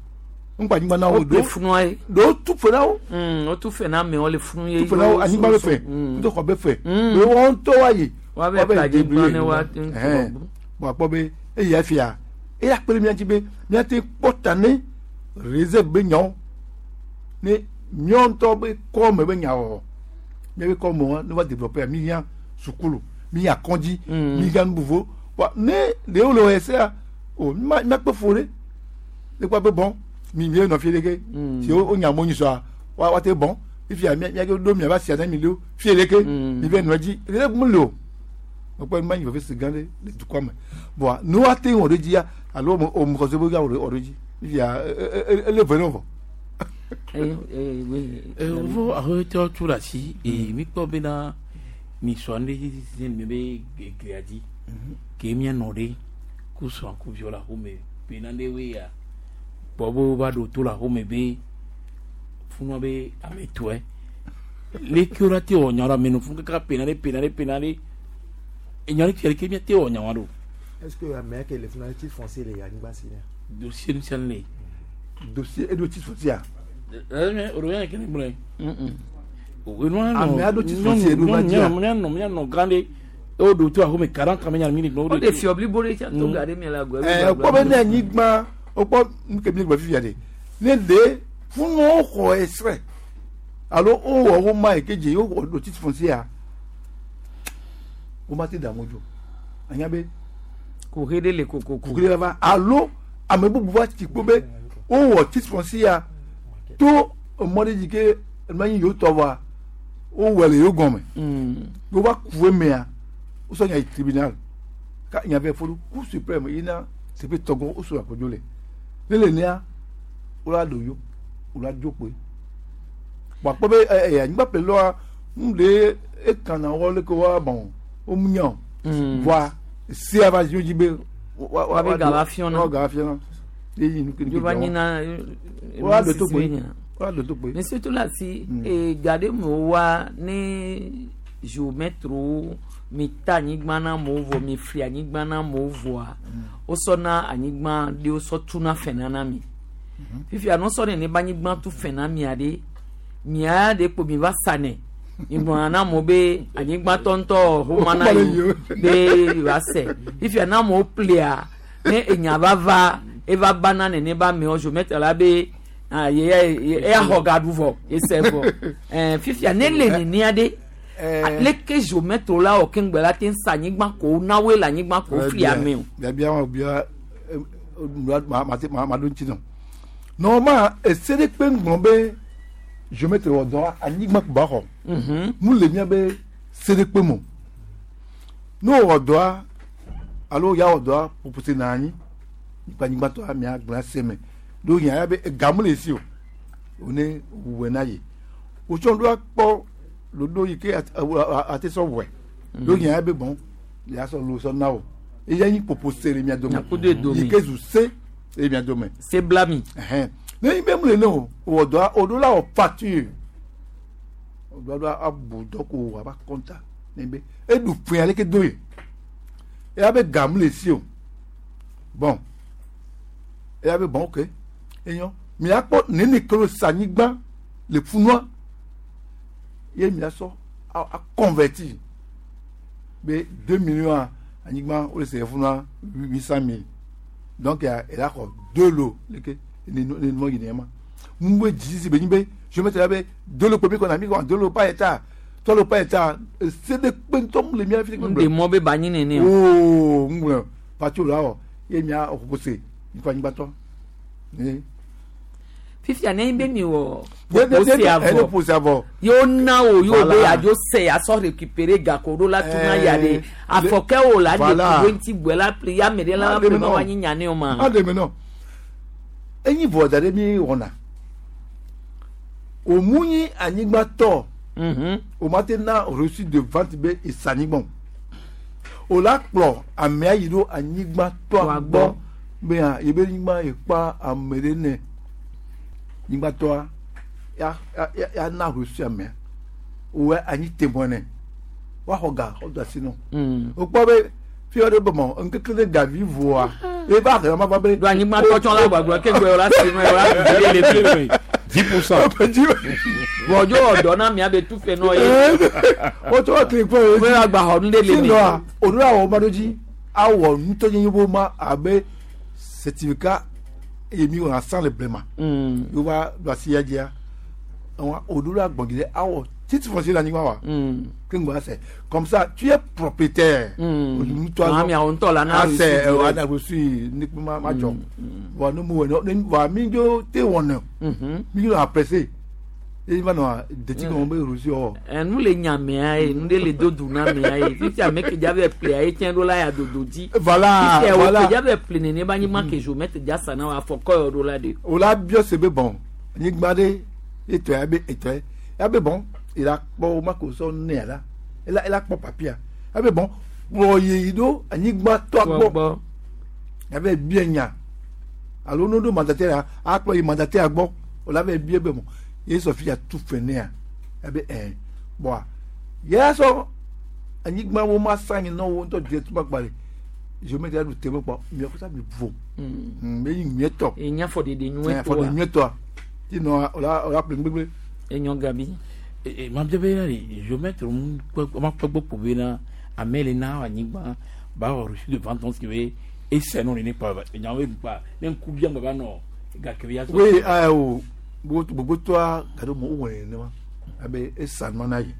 Ŋgba anyigba na wo. Woƒle funua ye. Ɖewo tu fe na wo. Wotu fe na amewo le funu ye. Tu fe na wo anyigba be fe. Kudo xɔ be fe. Be woawo ŋutɔ woayi. Woabe ƒle anyigba ne woate ŋu Ɛhɛn. Bɔn akpɔ be eya fia eya kpe ɖe mía ŋuti be míate kpɔ ta ne réserve be nyawo ne míawo ŋutɔ be kɔme be nyawɔwɔ míabe kɔme wa ne va développer mi hiã sukulu mi hiã kɔdzi mi hiã nu vovovo bɔn ne ɖewo le wɔ esea o ma míakpe fo ɖe ne kpɔ be bɔn mi mi nɔ fi ɖeke si wo nya mo nyisɔa wa wa te bɔn fifia mía mía ɖo mía va sia ne mi ɖo fi ɖeke mi va nɔ edzi ɖe mu le o mekpɔ ma nyi veve si gã ɖe le dukɔa me bɔn ne woate ŋu wɔ ɖe dzia alo o mo xɔse be wɔ ɖe dzi fifia ele ve ne vɔ. Vɔ aƒetɔ tso ɖe asi eye mikpɔ bena mi sɔ nu ɖe dzi mi be glia dzi ke mianɔ ɖe ku srɔ̃ ku viwo le aƒeme bena ɖe woe ya gbɔ be wova ɖo to le aƒeme be funua be ame tɔe leke wo la te wɔ nya ɖo ame nɔ funu kaka pena ɖe pena ɖe pena ɖe enya ɖe tia leke miate wɔ nya wa ɖo. Est-ce que ame ke le funu titre foncier le anyigba si ne? Dossier nu sia nu le. Dossier eɖo titre foncier. Ɛɛ o yɛn kene gblɔe. Ame aɖo titre foncier ɖo va dzia. Mianɔ mianɔ gã ɖe ewo ɖo to axome 40 ans mianɔ mi gblɔ. O de fiɔ blibo ɖe tsa to ga ɖe mi le agɔ. Ɛɛ kpɔ be ne anyigba wokpɔ nu ke mi gblɔ fifia ɖe ne ɖe funuwo xɔ extrait alo wowɔ wo ma yi ke dze wowɔ ɖo titre foncier wo ma te da mo dzo anya be. Kuxi ɖe le kokoko. Kuxi ɖe va alo ame bubu va tsi kpo be wowɔ titre foncier to emɔ ɖe dzi ke ema nyi yewo tɔ vɔa wowɔ le yewo gɔme. Wova ku emea wosɔ nya yi tribunal ka nya vɛ fo ɖo cour suprême yina teƒe tɔgɔ wosɔ akodzo le ne le nea wola ɖo yo wola dzo kpoe bɔn akpɔ be ɛ ɛ anyigba ƒle lɔa nu ɖe ekana wɔ leke wa bɔn wo mu nya o vɔa sea va zi wo dzi be wa wa Wa be ga va fiɔna. wa ga va fiɔna eyi nu ke Yo va nyina. wola ɖo to kpoe wola ɖo to kpoe. Monsieur Tolasi, e ga ɖe me wa ne géomètre mi ta anyigba na amewo vɔ mi fli anyigba na amewo vɔa wosɔna anyigba ɖe wosɔ tuna fɛ na na mi. Fifia ne wosɔ nene be anyigba tu fɛ na mia ɖe mia ɖe kpo mi va sa nɛ mi gblɔna na amewo be anyigba tɔntɔ homa na yewo be yewoa se. Fifia ne amewo ƒlea ne enya va va eva ba na nene be amewo géomètre la be ah ye ye eya xɔ ga ɖu vɔ ese vɔ ɛɛ fifia ne le nenea ɖe leke géomètre la wɔ keŋgbe la te sa anyigba ko na woe le anyigba ko fli ame o. Biabia wa bia ma ma ma ma ɖo ŋuti nɔ. Normalement ese ɖe kpe ŋgblɔ be géomètre wɔ dɔ anyigba ko ba xɔ. Mu le mía be se ɖe kpe mo. Ne wowɔ dɔa alo ya wɔ dɔa ƒoƒose na anyi anyigba tɔ mia gblẽ se me. Ɖo nya ya be ega mu le esi o. One wɔe na yi. Wotsɔ ɖo akpɔ ɖoɖo yi ke ate sɔ wɔe. Ɖo nya ya be bɔn ya sɔ lo sɔ na o. Eya nyi ƒoƒose le mia dome. Yi ke zu se le mia dome. Se bla mi. Ɛhɛn. Ne nyi be mu le ne o, wɔ dɔa o ɖo la wɔ facture. O ɖo la abu dɔ ko wɔ aba kɔnta. Ne be eɖu fɛn aleke do ye. Eya be ga mu le si o. Bon. Eya be bon ok. Enyɔ. Miakpɔ nene ke lo sa anyigba. le funua ye mia sɔ a converti be 2 millions anyigba wo le se funua 800 000. Donc ela xɔ deux lots leke ne ne nua yi ne ma. Mu be dzisi be nyi be géomètre la be deux lots kpe mi kɔna mi kɔna deux lots par hectare, trois lots par hectare, se de kpe ŋutɔ mu le mia fi. Ŋɖe mɔ be ba nyi nene o. Oo, ŋgblɔ patio la wɔ ye mia ƒose mi kɔ anyigba tɔ. Fifia ne be mi wɔ ƒose avɔ, ƒose avɔ yewo na wo yewo be yadzo se asɔ récupérer gako ɖo la tuna ya ɖe afɔkɛ wo la ɖe kudo ŋuti gbɔ la pli ya ame ɖe la ple ma wa nyi nya ne o ma. Aɖe me nɔ enyi vɔ da ɖe mi wɔna òmu nyi anyigba tɔ o ma te na reçu de vente be esa anyigba o la kplɔ amea yi ɖo anyigba tɔa gbɔ be hã yebe anyigba yi kpa ame ɖe nɛ anyigba tɔa ya ya ya na reçu amea o anyi témoin nɛ woaxɔ ga xɔ do asi nɔ o kpɔ be fi ɖe be mɔ ŋkeke ɖe gavi voa eva xɔ ma va be. Do anyigba tɔ tsɔ la gbagblɔ ke gbɔ la si me la vi le fi. 10%. Bɔnjo ɔdɔ na mia be tu fɛ nɔ ye. O tɔ kile kpɔ ye. O y'a gba xɔ nu de le mi. Sinɔ o do awɔ ma do dzi awɔ nutɔnyenye bo ma abe certificat eye mi wɔna san le blema. Yóò va do asi ya dzia o do la gbɔn dzi awɔ titre foncier la anyigba wa. Ke ŋgbɔ asɛ comme ça tu es propriétaire. Nutɔ mi awɔ ŋutɔ la na reçu. Asɛ ana reçu ne ma ma dzɔ. Bɔn ne mu wɔ ne wa mi dzo te wɔnɛ. Mi dzo apprécier eye va nɔ deti kɔn be reçu wɔ. Nu le nyamea ye nu de le do du na mea ye fifia ame ke dza bɛ ple ye tiɲɛ do la ya dodo dzi. Voilà, fifia voilà. wo ke dza bɛ ple nene ba anyigba ke géomètre dza sa na wa afɔ kɔ yɔ do la de. O la biɔ se be bɔn anyigba ɖe etɔ ya be etɔ ya be bɔn ela kpɔ wo ma ko sɔ nea la ela ela kpɔ papier ya be bɔn kplɔ yeyi ɖo anyigba tɔ gbɔ ya be bia nya alo no ɖo mandataire ya akplɔ yi mandataire gbɔ o la be bia be bɔn ye sɔ fi ya tu fɛ nea ya be ɛn bɔn ya sɔ anyigba wo ma sa nyi nɔ wo ŋutɔ di tu ma gba le géomètre ya ɖu teme kpɔ miɔ kɔsa mi vo mɛ yi nyuietɔ Enya fɔ ɖeɖe nyuietɔ fɔ ɖe nyuietɔa ti nɔ o la o la ƒle gbegble. Enyɔ gabi. Ma bia bena ɖe géomètre ma kpɔ gbɔ kpo bena ame le na anyigba ba wɔ reçu de vente si be ese nɔ nene kpa nyawo be kpa ne ŋku bia ŋgba va nɔ gake be ya sɔ. Oui, ayi o gbogbo tɔa gado mo wɔ nene ma abe esa nɔ na yi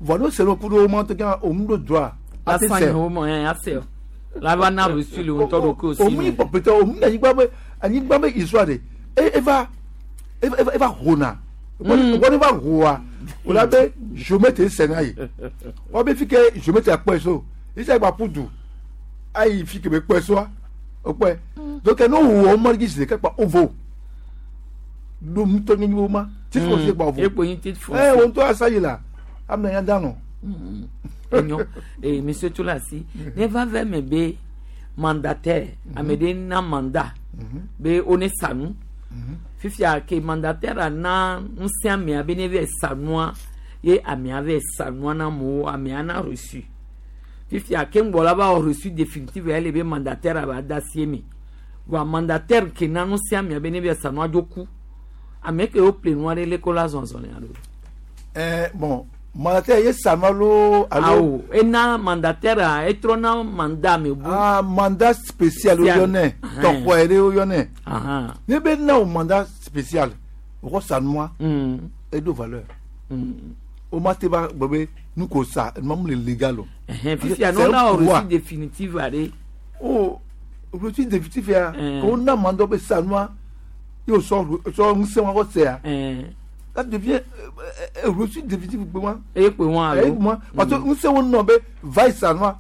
vɔ n'o sɛnɛ kudo o ma to kɛ o mu do droit a tɛ Asan sɛ yi wo mɔ ɛ asɛ o la va na reçu le ŋutɔ ɖo ko si. O mu yi propriétaire o mu anyigba be anyigba be histoire de e eva eva eva hona wọ́n va hoa o la be géomètre sɛnɛ yi wọ́n bɛ fi kɛ géomètre akpɔ so isa gba pudu ayi fi kɛ bɛ kpɔ so o kpɔ donc n'o wɔ ɔmɔ yi sise kɛ kpa o vo do ŋutɔ nye wo ma titre foncier kpa o vo Ekpo nyi titre foncier. Ɛ o ŋutɔ asa yi la amina ya da nɔ. Enyo ee monsieur Tulasi ne va vɛ me be mandataire ame ɖe na mandat be wo ne sa nu fifia ke mandataire na ŋusẽ amea be ne vɛ sa nua ye amea vɛ sa nua na amewo amea na reçu fifia ke ŋgbɔ la va wɔ reçu définitive ya le be mandataire ba da si eme voa mandataire ke na ŋusẽ amea be ne vɛ sa nua dzo ku ame ke wo ple nua ɖe leke wo la zɔzɔ ne alo. Ɛɛ bon mandataire ye sa nua loo alo. Awo ena mandataire a etrɔ na mandat me bu. Ah, mandat spécial o yɔnɛ tɔxɔ yɛrɛ o yɔnɛ ne bɛ na o mandat spécial o kɔ sa nua e do valeur o ma te ba gbɔ be nu ko sa nua mu le légal o. Fifia n'o na o reçu définitive are. O reçu définitive ya k'o na mandat bɛ sa nua y'o sɔ sɔ ŋusẽ wa kɔ sɛ ya ça devient reçu définitif gbe wa. E kpe wọn alo. E kpe wọn parce que ŋusẽ wo nɔ be va yi sa nua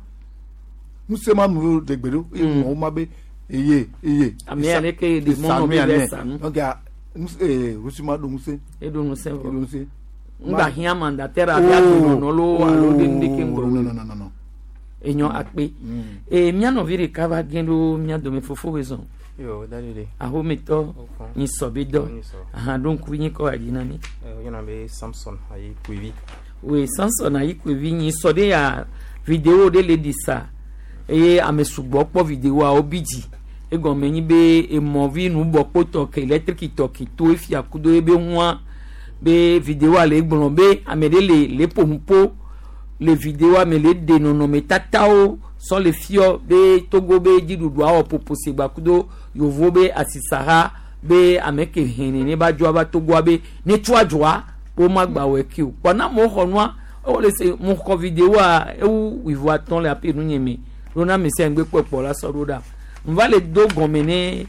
ŋusẽ ma nu de gbe ɖo eye mɔwo ma be eye eye. Ame ya leke de mɔ nɔ be bɛ sa nu. Donc ŋusẽ reçu ma ɖo ŋusẽ. E ɖo ŋusẽ vɔ. E ɖo ŋusẽ. Ŋgba hiã mandataire abe adonɔnɔ loo alo ɖe nu ɖeke ŋgɔ. Non non non non. Enyɔ akpe. Ee mía nɔvi ɖeka va gẽ ɖo mía dome fofo be zɔn. Yo, daddy. Ahometɔ nyisɔ be dɔ ahan ɖo ŋkuvi nyi kɔ adzi na mi. Yɔna be Samson ayi Kwevi. Oui, Samson ayi Kwevi nyisɔ ɖe ya vidéo ɖe le ɖi sa eye ame sugbɔ kpɔ vidéoa wo bi dzi egɔme nyi be emɔvi nubɔkpotɔ ke électrique tɔ ke to efia kudo ebe ŋua Be videoa le gblɔ be ame ɖe le le ƒonuƒo le videoa me le ɖe nɔnɔmetatawo sɔ le fiɔ be Togo be dziɖuɖua wɔ ƒoƒose gbakudo yovo be asisaha be ame ke hɛn nene ba dzoa va Togoa be ne tso adzɔa woma gba wɔ eke o. Kpɔ na amewo xɔ nua wole se mo xɔ videoa ewu wuivo atɔ̃ le aƒe nu nye me ɖo na ame sia ŋgbe kpɔ kpɔ la sɔ ɖo ɖa. Nva le do gɔme ne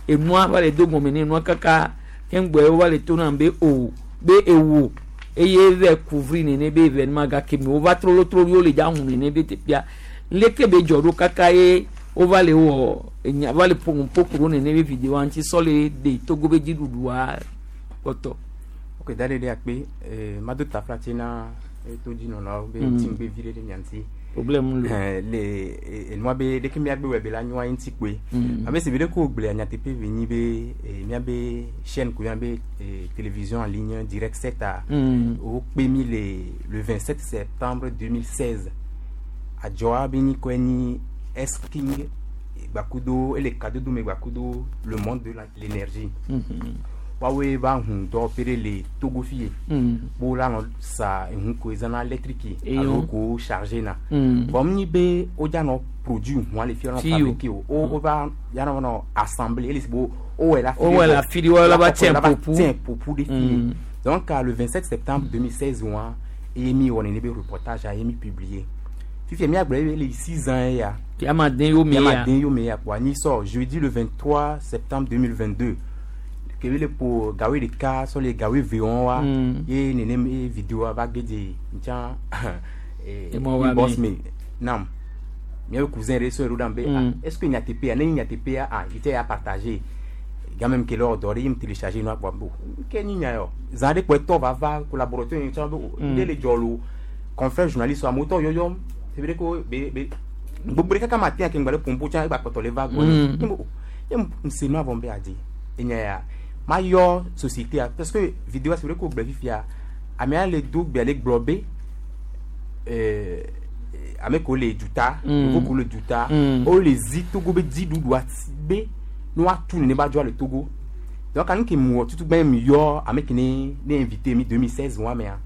enua va le do gɔme ne enua kaka keŋgbɔe wova le to nam be o be ewo eye va couvrir nene be événement gake me wova trolotrolo wo le dza hu nene be teƒea leke be dzɔ ɖo kaka ye wova le wɔ enya va le ƒo ƒo ku ɖo nene be videoa ŋuti sɔ le ɖe Togo be dziɖuɖua kpɔtɔ. Ok, da ɖe akpe mado taflatse na todzinɔlawo be ŋuti vi ɖe ɖe mia ŋuti. Problème lo. Le enua be ɖeke miagbe wɔ be la nyoa ŋuti kpoe. Abe si be ɖe ko gblea nyateƒe be nyi be miabe chaîne ko miabe télévision en ligne Direct 7 a wokpe mi le 27 septembre 2016. Adzɔa be nyi kɔe nyi S-King gbakudo ele kadodo me gbakudo le monde de l'énergie. Woawoe va hu dɔwɔƒe ɖe le Togo fi ye. Bo la nɔ sa ehu ko ezãna électrique alo ko chargé na. Bon nyi be wodza nɔ produit hua le fi nɔ fabriquer o. Wo va ya nɔ nɔ assembler ele si bo wowɔe la fi. Wowɔe la fi ɖe la va tiɲɛ popu. Tiɲɛ popu ɖe fi ye. Donc le 27 septembre 2016 wa eye mi wɔ nene be reportage a ye mi publier. Fifia miagblɔ ye le 6 ans ya. Yama den yo me ya. Yama den yo me ya quoi. Ni sort jeudi le 23 septembre 2022. Kebe le po gawe ɖeka sɔ le gawe ve wɔn wa ye nenem ye vidéo va ge dze ntsa inbox me nam miabe cousin ɖe sɔ ɖo ɖam be ah est ce que nyateƒea ne nyateƒea ah il tɛ ya partager quand même ke lɔ dɔ ɖe ye télécharger nua kpɔ bo ke nyi nya yɔ zã ɖe kpɔ etɔ va va collaborateur yi tsã be ɖe le dzɔ lo confrère journaliste amewo tɔ yɔyɔm c'est vrai que be be gbogbo ɖe kaka ma te ake ŋgba le pompo tsã egba kpɔtɔ le va gbɔ ye ŋse nua vɔ be adi enya ya ma yɔ société a parce que vidéo c'est vrai que gblɔ fifia amea le do gbea le gblɔ be ame ko le duta yevu ko le duta wo le zi Togo be dziɖuɖua be ne woatu nene ba dzɔa le Togo. Donc anu ke mu wɔ tutu gbɛ mi yɔ ame ke ne ne invité mi 2016 wa mea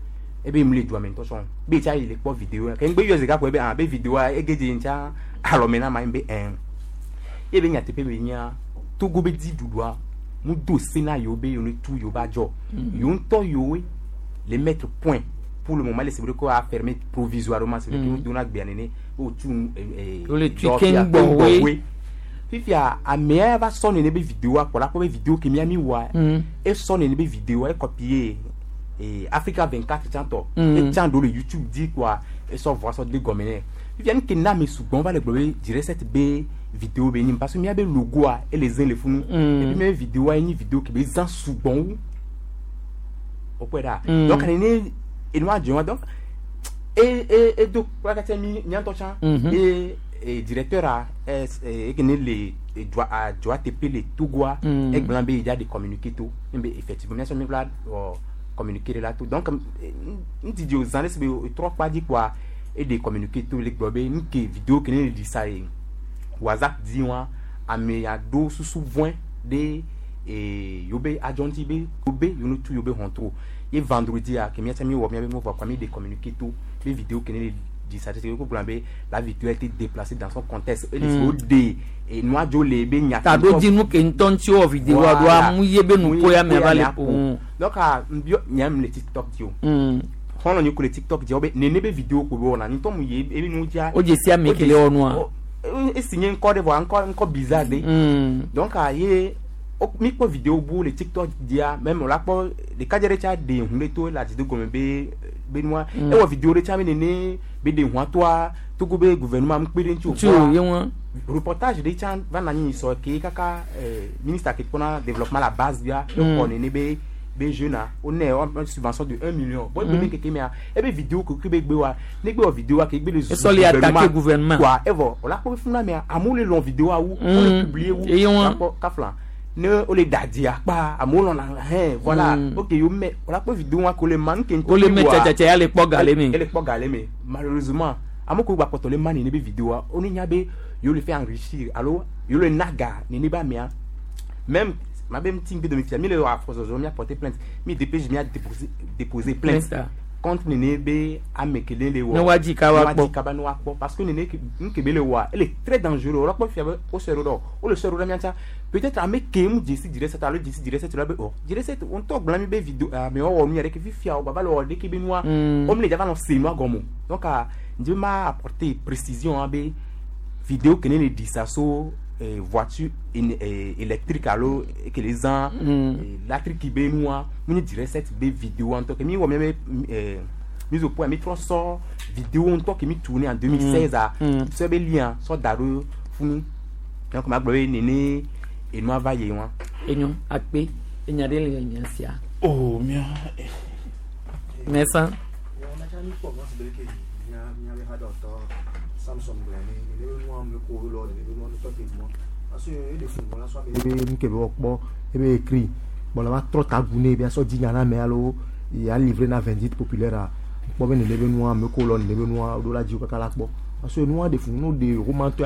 ebe mu le dua me ŋutɔ sɔn be tsa yi le kpɔ vidéo ke ŋgbe yɔ zika ko ebe ah be vidéo ege dze ŋtsa alɔme na ma be ɛn ye be nyateƒe be nya Togo be dziɖuɖua mu do se na yewo be yewo ne tu yewo ba dzɔ yewo ŋutɔ yewoe le mettre point pour le moment le c'est vrai qu'on a fermé provisoirement c'est vrai que dona gbea nene o tu Wole tui keŋ gbɔwoe. Fifia amea va sɔ nene be vidéo kpɔ la kpɔ be vidéo ke mia mi wɔa esɔ nene be vidéo e copier Africa 24 tsãtɔ etsã ɖo le YouTube di quoi esɔ vɔ sɔ de gɔme nɛ. Fifia nu ke na ame sugbɔn va le gblɔ be Direct 7 be vidéo be nyi parce que mia be logoa ele zẽ le funu et puis mia be vidéoa nyi vidéo ke be zã sugbɔn wu o kpɔe ɖa. Donc nene enua dzɔ wa donc e e edo kplakatɛ mi miatɔ tsã e directeur a eke ne le dua adzɔa teƒe le Togoa egblɔ be yedza de communiqué to be effectivement miasɔ mi la wɔ communiqué ɖe la to. Donc ŋdidi o zã ɖe si be trɔ kpa dzi kpoa eɖe communiqué to le gblɔ be nuke vidéo ke ne le ɖi sa ye WhatsApp dzi wa ame ya ɖo susu vɔe ɖe yewo be adzɔ ŋuti be wo be yewo ne tu yewo be hɔntro ye vendredi a ke miatsa mi wɔ miabe nu vɔ kpa mi de communiqué to be vidéo ke ne le ɖi sa tete ko gblɔ be la vidéo a été déplacée dans son contexte ele si wo de enua dzo le be nya. Taɖodzinu ke ŋutɔ ŋuti wɔ vidéoa ɖoa mu ye be nuƒo ya mea va le ƒo. Donc a nbiɔ nyam le TikTok dzi o xɔlɔ̃ nyi ko le TikTok dzi wo be nene be vidéo ko be wɔna ŋutɔ mu ye ebe nu dzia. O dze si ame ke le wɔ nua. Esi nye ŋkɔ ɖe vɔa ŋkɔ ŋkɔ bizarre ɖe. Donc a ye mi kpɔ vidéo bu le TikTok dzia même o la kpɔ ɖekadze ɖe tsa ɖe hu ɖe to le adi do gɔme be be nua ewɔ vidéo ɖe tsa be nene be ɖe hua toa Togo be gouvernement mu kpe ɖe ŋuti o. Ŋuti o ye ŋua. Reportage ɖe tsã va na anyi sɔ ke kaka ministre ke kpɔna développement la base bia exɔ nene be be jeune a wo nɛ subvention de 1 million bon egbe be keke mea ebe vidéo ke ke be gbe wa ne gbe wɔ vidéo wa ke gbe le zu Esɔ le attaquer gouvernement. Quoi evɔ o la kpɔ be funa mea amewo le lɔn vidéo wu wo le publier wu. Eye ŋua. Kpɔ kafla ne wo le dadia kpa amewo lɔna hɛn voilà. Ok yo mɛ o la kpɔ vidéo wa ko le ma nu ke ŋutɔ Wo le mɛ wa tsatsatsɛ ya le kpɔ ga le me. Ele kpɔ ga le me. Malheureusement ame ko gba kpɔtɔ le ma nene be vidéo wa wo ne nya be yewo le fait enrichir alo yewo le na ga nene be amea même. Ma be ŋuti ŋgbe domi fia mi le wɔ afɔzɔzɔ mia porter plainte mi DPJ mia déposer plainte Plainte. contre nene be ame kele le wɔ. Ne woadzi kaba Ne woadzi kpɔ. kaba ne woakpɔ parce que nene nu ke be le wɔa ele très dangereux wòle kpɔ fia be wo sɔe ɖo ɖe o wole sɔe ɖo ɖe mia ŋutia peut-être ame ke mu dzesi dziɖe alo dzesi dziɖe la be o dziɖe wo ŋutɔ gblɔ na mi be video amewo wɔ nu ya ɖeke fifia wo gbava le wɔ ɖeke be nua wo mi le dzava nɔ se nua gɔme o donc ŋdi be ma apporter précision hã be vidéo ke ne le ɖi sa so voiture électrique alo ke le zã latrik be nua mu nye dziɖe be vidéo ŋutɔ ke mi wɔ miabe mise au point mi trɔ sɔ vidéo ŋutɔ ke mi tourné en 2016 a sɔ be lien sɔ da ɖo funu donc ma gblɔ be nene enua va yi wa. Enyo akpe enya ɖe le nya sia. Oh mia. Mɛsan. Ebe nu ke be wɔkpɔ ebe écrit bon la va trɔ ta gu ne be asɔ dzi nya na ame alo ya livré na vindicte populaire a kpɔ be nene be nua ame ko lɔ nene be nua ɖo la dzi wo kaka la kpɔ parce que nua de funu de roman tɔ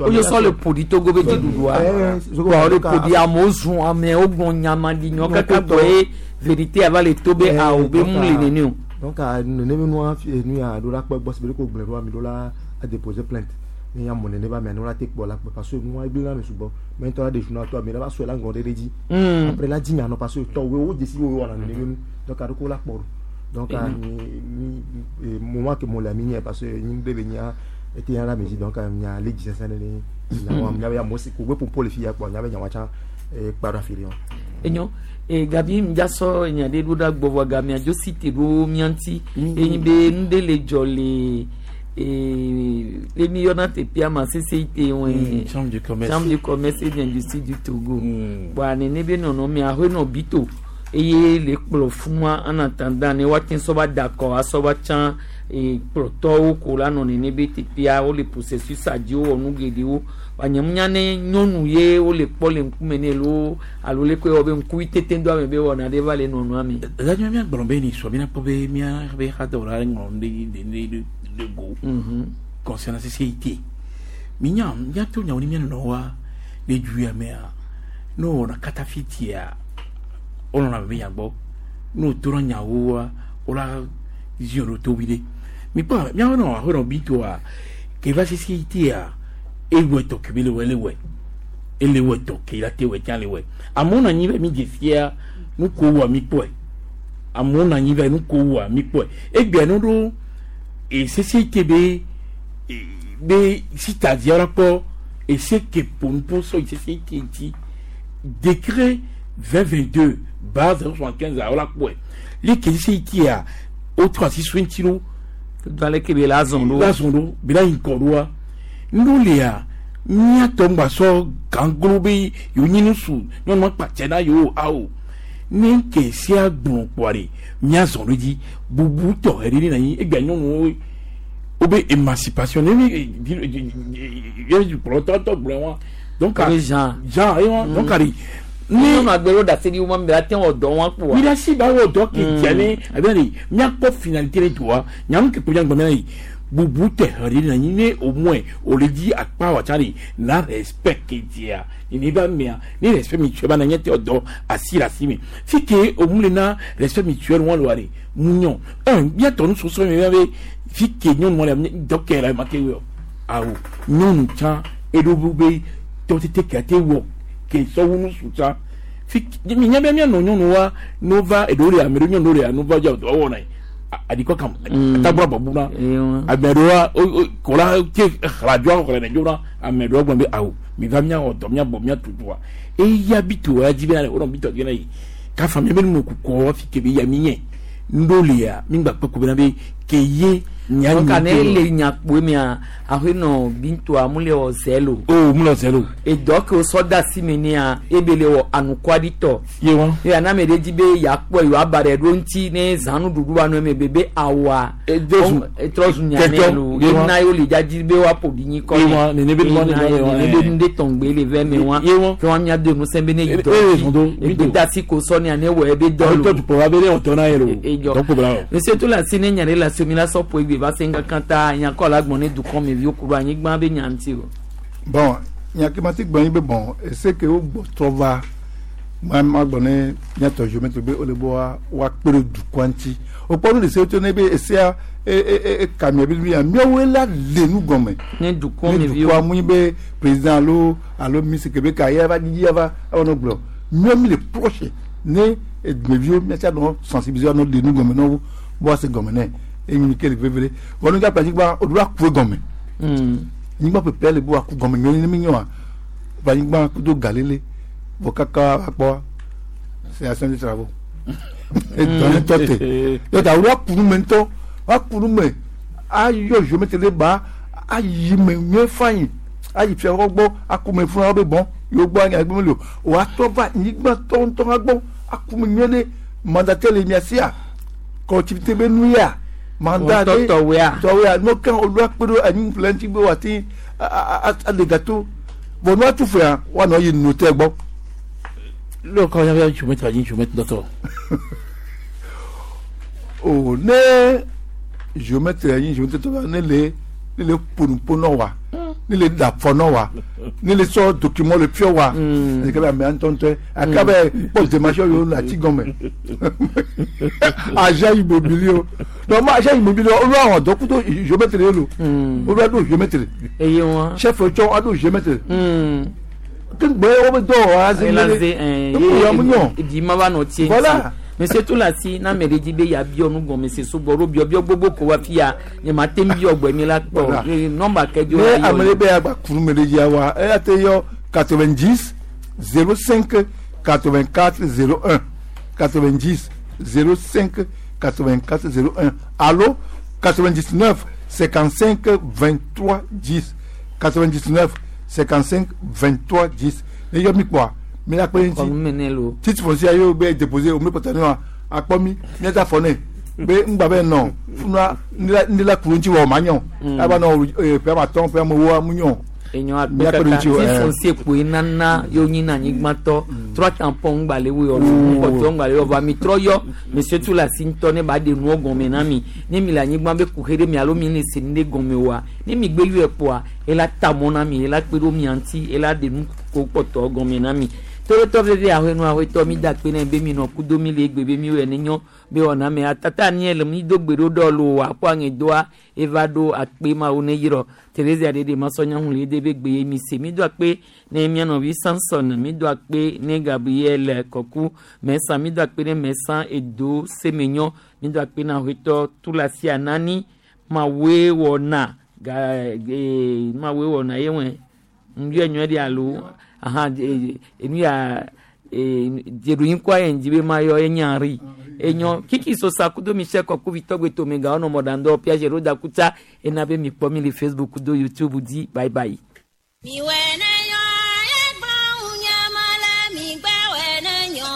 O ye sɔ le ƒoɖi Togo be dziɖuɖua. Wa o le ƒoɖi amewo zun amewo gblɔ nyamaɖinyɔ kaka gbɔ ye vérité ava le to be awo be mu le nene o. Donc nene be nua nu ya ɖo la kpɔ gbɔ si be ko gblẽ ɖoa mi ɖo la a déposer plainte ne ya mɔ nene ba mea ne la te kpɔ la kpɔ parce que nua egblẽ na me sugbɔ mais ŋutɔ la de journal tɔ ame la va sɔe la ŋgɔ ɖe ɖe dzi après la dzi nya nɔ parce que tɔ wo wo dzesi wo wɔna nene be nu donc aɖo ko la kpɔ ɖo donc mi mi moment que mo le ami nye parce que nyi be be nya ete ya la me dzi donc nya le dzi sese ne nya wa nya be amewo si ko be popo le fi ya kpɔ nya be nya wa tsã kpa ɖo afi ɖe wa. Enyo e gabi ŋdza sɔ enya ɖe ɖo ɖa gbɔ vɔ gamea dzo si te ɖo mía ŋuti enyi be nu ɖe le dzɔ le le mi yɔna teƒea ma CCIT wɛ Chambre du commerce. Chambre du commerce et d'industrie du Togo bɔn nene be nɔnɔmea aƒe bito eye le kplɔ funua en attendant ne woate sɔ va da akɔ asɔ va tsã kplɔtɔwo ko la nɔ nene be teƒea wole processus a dzi wowɔ nu geɖewo wanyemunya ne nyɔnu ye wole kpɔ le ŋkume ne lo alo le koe wɔ be ŋkuvi tete do ame be wɔna ɖe va le nɔnɔa me. Zadzɔ mía gblɔ be ni sɔ mina kpɔ be mía be xadɔwɔla ŋlɔ nu ɖe ɖe ɖe ɖe go concernant CCIT. Minya míato nyawo ni mía nɔnɔwoa le du ya mea ne wowɔna katafitia wolɔna be nya gbɔ ne wòtona nyawoa wola ziɔ ɖo to vi ɖe mikpɔ míawo nɔ aƒe nɔ bitoa ke va CCIT-a ewɔ etɔ ke be le wɔ ele wɔe ele wɔ etɔ ke la te wɔ tsã le wɔe amewo nɔ anyi be mi dze fia nu ko wɔa mi kpɔe amewo nɔ anyi be nu ko wɔa mi kpɔe egbea no ɖo e CCIT be be sitadia la kpɔ ese ke ƒo sɔ yi CCIT ŋuti décret 2022 barre 075 a wola kpɔe le ke CCIT-a wotrɔ asi so ŋuti ɖo do ale ke be la zɔn ɖo la zɔn ɖo be la yi ŋkɔ ɖoa nuɖewo lia míatɔ ŋgba sɔ ganglo be yewo nyi nusu nyɔnu akpatsɛ na yewo awo ne ke sia gblɔ kpɔa ɖe míazɔn ɖo dzi bubu tɔxɛ ɖe ne anyi egbea nyɔnuwo wo be émancipation ne mi kplɔtɔ tɔ gblɔ wa donc Jean Jean ye wa donc ari ne nyɔnu agbelo ɖase ɖi wo ma ate wɔ dɔ wa kpoa. mi ɖe asi ba wɔ dɔ ke dzia ne abe ne míakpɔ finalité ne doa nyanu ke kpo miagbɔ mia yi bubu tɛ hã ɖe na anyi ne au moins o le dzi akpa wa tsã ɖe na respect ke dzia ne ba mea ne respect mutuel ba na nye te dɔ asi le asi me fi ke o mu le na respect mutuel wɔn le wa ɖe mu nyɔ un miatɔ nu sɔsɔ mi be fi ke nyɔnu le dɔ kɛ la ma te wɔ awo nyɔnu tsã eɖo be tɔ tete ke ate wɔ ke sɔwu nu su tsã fi mi nya be mianɔ nyɔnu wa n'o va eɖewo le ame ɖewo nyɔnu ɖewo le n'o va dza dɔ wɔna ye adikɔ kam tagbɔ bɔbu na ame ɖewoa kɔla ke xladzɔ xlẽ dzona ame ɖewo gblɔ be awo mi va miawɔ dɔ miabɔ miatutua eya bito ya dzi bena wonɔ bito dzi na yi kafa mi be nu kukɔ fi ke be ya mi nye ŋɖo lia mi gba kpe ko bena be ke ye nya donc ne le nyakpoe mea aƒe nɔ bintoa mu le wɔ zɛlo. o mu le wɔ zɛlo. edɔ ke wosɔ da asi me nea ebe le wɔ anukuaditɔ. ye wa. ye aname ɖe dzi be yakpɔ yewoa ba ɖe ɖo ŋuti ne zanu ɖuɖu wa nɔ eme be be awa. etrɔ zu nyame lo Ye wa. yena ye wole dzadzi be woaƒo ɖi nyi kɔ Ye wa, nene be nua ne Yena ye wa, nene be nu ɖe tɔŋgbe le vɛ me wa. Ye wa. ke wa mia do ŋusẽ be ne yi dɔ E- e- zɔn do, dzi egbedasi ko sɔ nea ne wɔ ebe dɔ lo. Tɔ tukpɔ wa be ne wɔtɔ na ye lo. Edzɔ. Dɔ ko bla o. Monsieur to la si ne nya ɖe le asi mi la sɔ ƒo egbe va se ŋkankan ta nyakɔ la gbɔn ne dukɔ me viwo ku ɖo anyigba be nya ŋuti o. Bon, nya ke ma ti gblɔ nyi be bon ese ke wo gbɔ trɔ va Ma ma gbɔ ne míatɔ géomètre be wole be wa woakpe ɖe dukɔa ŋuti. Wokpɔ nu ɖe se to ne be esea e e e eka mia be nu ya míawoe la le nu gɔme. Ne dukɔ Ne me viwo. dukɔa mu nyi be président alo alo ministre ke be ka ye va dzidzi ava ava nɔ gblɔ. Míawo mi le proche ne dumeviwo míatsa nɔ sensibiliser nɔ ɖe nu gɔme na wo be woase gɔme nɛ. Enyi nu ke le veve ɖe. Vɔ nu gakpe anyigba woɖo la ku egɔme. Anyigba ƒeƒea le be woaku gɔme nyuie ne mi nyoa. Vɔ anyigba kudo galele vɔ kaka va kpɔ c'est action de travaux. Edɔ ŋutɔ te. Donc awo aku nu me ŋutɔ woaku nu me ayɔ géomètre ɖe ba ayi me nyuie fain ayi fia wɔgbɔ gbɔ aku me fún wa be bɔn yewo gbɔ anya gbɔ meli o woatrɔ va anyigba tɔ ŋutɔ hã gbɔ aku me nyuie ɖe mandataire le mia sia collectivité be nu ya mandat Wɔtɔ tɔwoea. tɔwoea n'o kan olu akpe ɖo anyi ƒle ŋuti be woate aɖe gâteau bɔn n'o atu fea woanɔ yi notaire gbɔ. Lóò kọ́ yàrá géomètre anyi géomètre dɔtɔ. O ne géomètre anyi géomètre tɔ la ne le ne le ƒonuƒo nɔ wa ne le da fɔ nɔ wa ne le sɔ document le fiɔ wa eke be amea ŋutɔŋutɔe aka be kpɔ démarche yiwo le ati gɔme agent immobilier o donc ma agent immobilier olu awɔ dɔ kudo géomètre ye lo olu aɖo géomètre eye wọn chef tsɔ aɖo géomètre ke gbɛ wo be dɔ wɔ aze elaze ya mu nyɔ ɛɛ di ma va nɔ tie Voilà. Monsieur Toulassi na ame ɖe dzi be yeabiɔ nu gɔme se sugbɔ ɖo biɔbiɔ gbogbo ko wa fia nye ma te ŋu biɔ gbɔ mi la kpɔ. Voilà. Nɔmba kɛdzo Ne ame ɖe be agba kunu me ɖe dzia wa eya te yɔ 90 05 84 01 90 05 84 01 alo 99 55 23 10 99 55 23 10 ne yɔ mi kpɔa mi la kpe ŋuti titre foncier ye wo be déposé o mi kpɔtɔ ne wa akpɔ mi miata fɔ ne be ŋgba be nɔ funua ndi la kuru ŋuti wɔ o ma nyɔ aba nɔ ƒe ame atɔ̃ ƒe ame ewoa mu nyɔ. Enyɔ akpe Míakpe ɖe kaka ŋuti o, ti ɛ. foncier kpoe nana yewo nyina anyigbãtɔ trɔ tampon ŋgba le wo yɔ ŋkpɔtɔ ŋgba le yɔ vɔ ami trɔ yɔ monsieur Toulassi ŋutɔ ne ba ɖe nuwo gɔme na mi ne mi le anyigba be kuxe ɖe mi alo mi le se nu ɖe gɔme oa ne mi gbe yɔe kpoa ela ta mɔ na mi ela kpe ɖo mia ŋuti ela ɖe nu ko kpɔtɔ gɔme na mi toɖotɔ veve ahɔenu ahɔetɔ mi da akpe na be mi nɔ kudo mi le egbe be mi wɔe ne nyɔ be wɔna me atata ni le mi do gbe ɖo ɖɔ lo akɔ aŋedoa eva ɖo akpe mawo ne yrɔ Theresia ɖeɖe masɔnya hu le de be gbe ye mi se mi do akpe ne mia nɔvi Samson mi do akpe ne Gabriel Kɔku mɛsan mi do akpe ne mɛsan edo semenyɔ mi do akpe na ahɔetɔ Toulassi Anani mawoe wɔna ga ee mawoe wɔna ye wɛ ŋdɔ nyɔ ɖe alo ahan enu ya dzeɖonyi kɔ ayi ŋdzi be ma yɔ enya ri enyɔ kiki sosa kudo michel kɔkuvi tɔgbe tome ga ɔnɔ mɔɖaŋdɔ piaget ɖo da kutsa ena be mi kpɔ mi le Facebook kudo YouTube dzi bye bye. Miwɛ ne nyɔ egblɔ ŋu nye me le migbe wɛ ne nyɔ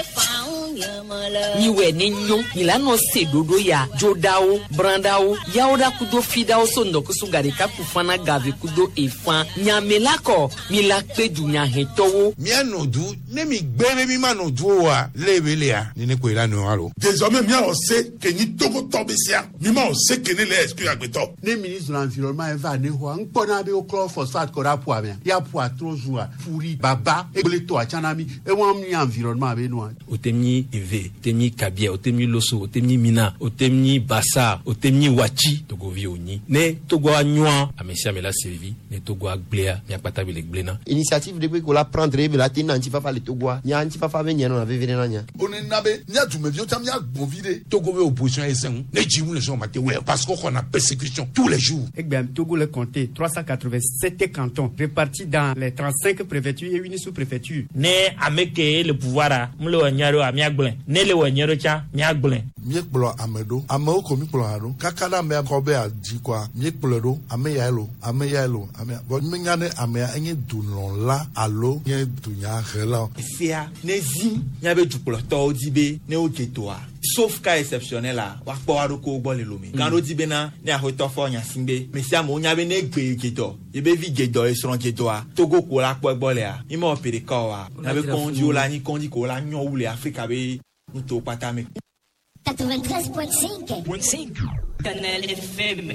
efa ŋu nye me le. Miwɛ ne nyɔ mi la nɔ se ɖoɖo ya dzoɖawo brãɖawo yawo ɖa kudo fiɖawo so ŋdɔkusu gaɖeka ku fana gave kudo efã nyame la kɔ mi la kpe dunyahɛtɔwo. Míanɔ du ne mi gbé be mi ma nɔ du o wa lé be lea nene koe la nɔ alo. Désormais miawɔ se ke nyi togotɔ be sia mi ma wɔ se ke ne le exclure agbetɔ. Ne ministre de l'environnement eva ne xɔa ŋkpɔna be woklɔ phosphate kɔ ɖe aƒua mea ya ƒua trɔ zua furi baba egble tɔa tsã na mi ewa mi environnement be nua. Otemi Eve, otemi Kabia, otemi Loso, otemi Mina, otemi Bassa, otemi Wachi, Togovi oni. Ne Togo anywa, ame sia ame la servi, ne Togo agblea, miakpata be le gblena. Initiative ɖe kpe ko la prendre be la te na ŋutifafa le Togoa nya ŋutifafa be nye nɔna veve ɖe na nya. Wonena be mía dumeviwo tsã míagbɔn vi ɖe. Togo be opposition ye sẽŋu ne dzi ŋu le sɔn ma te wɛ parce que xɔna persécution tous les jours. Egbea Togo le compté 387 cantons répartis dans les 35 préfectures et une sous-préfecture. Ne ame ke le pouvoir a mu le wɔ nyɔ ɖo a míagblɔe ne le wɔ nyɔ ɖo tsã míagblɔe. Míekplɔ ame ɖo amewo ko míkplɔ hã ɖo kaka ɖe amea kɔ be adzi kɔa míekplɔe ɖo ame yae lo ame yae lo ame ya vɔ míenya ne amea enye dulɔla alo nye dunyahela o. Sea ne zi míabe dukplɔtɔwo di be ne wodze toa sauf cas exceptionnel la woakpɔ wa ɖokuiwo gbɔ le lome gã ɖo di bena ne axɔtɔ fɔ nya si be me sia amewo nya be ne gbe dze dɔ yebe vi dze dɔ esrɔ̃ dze dɔa Togo ko la kpɔ egbɔ lea mi mewɔ ƒe ɖeka oa míabe kɔŋdziwo la nyi kɔŋdzi ko la nyɔ wu le Afrika be nutowo kpata me. 93.5. Canal FM.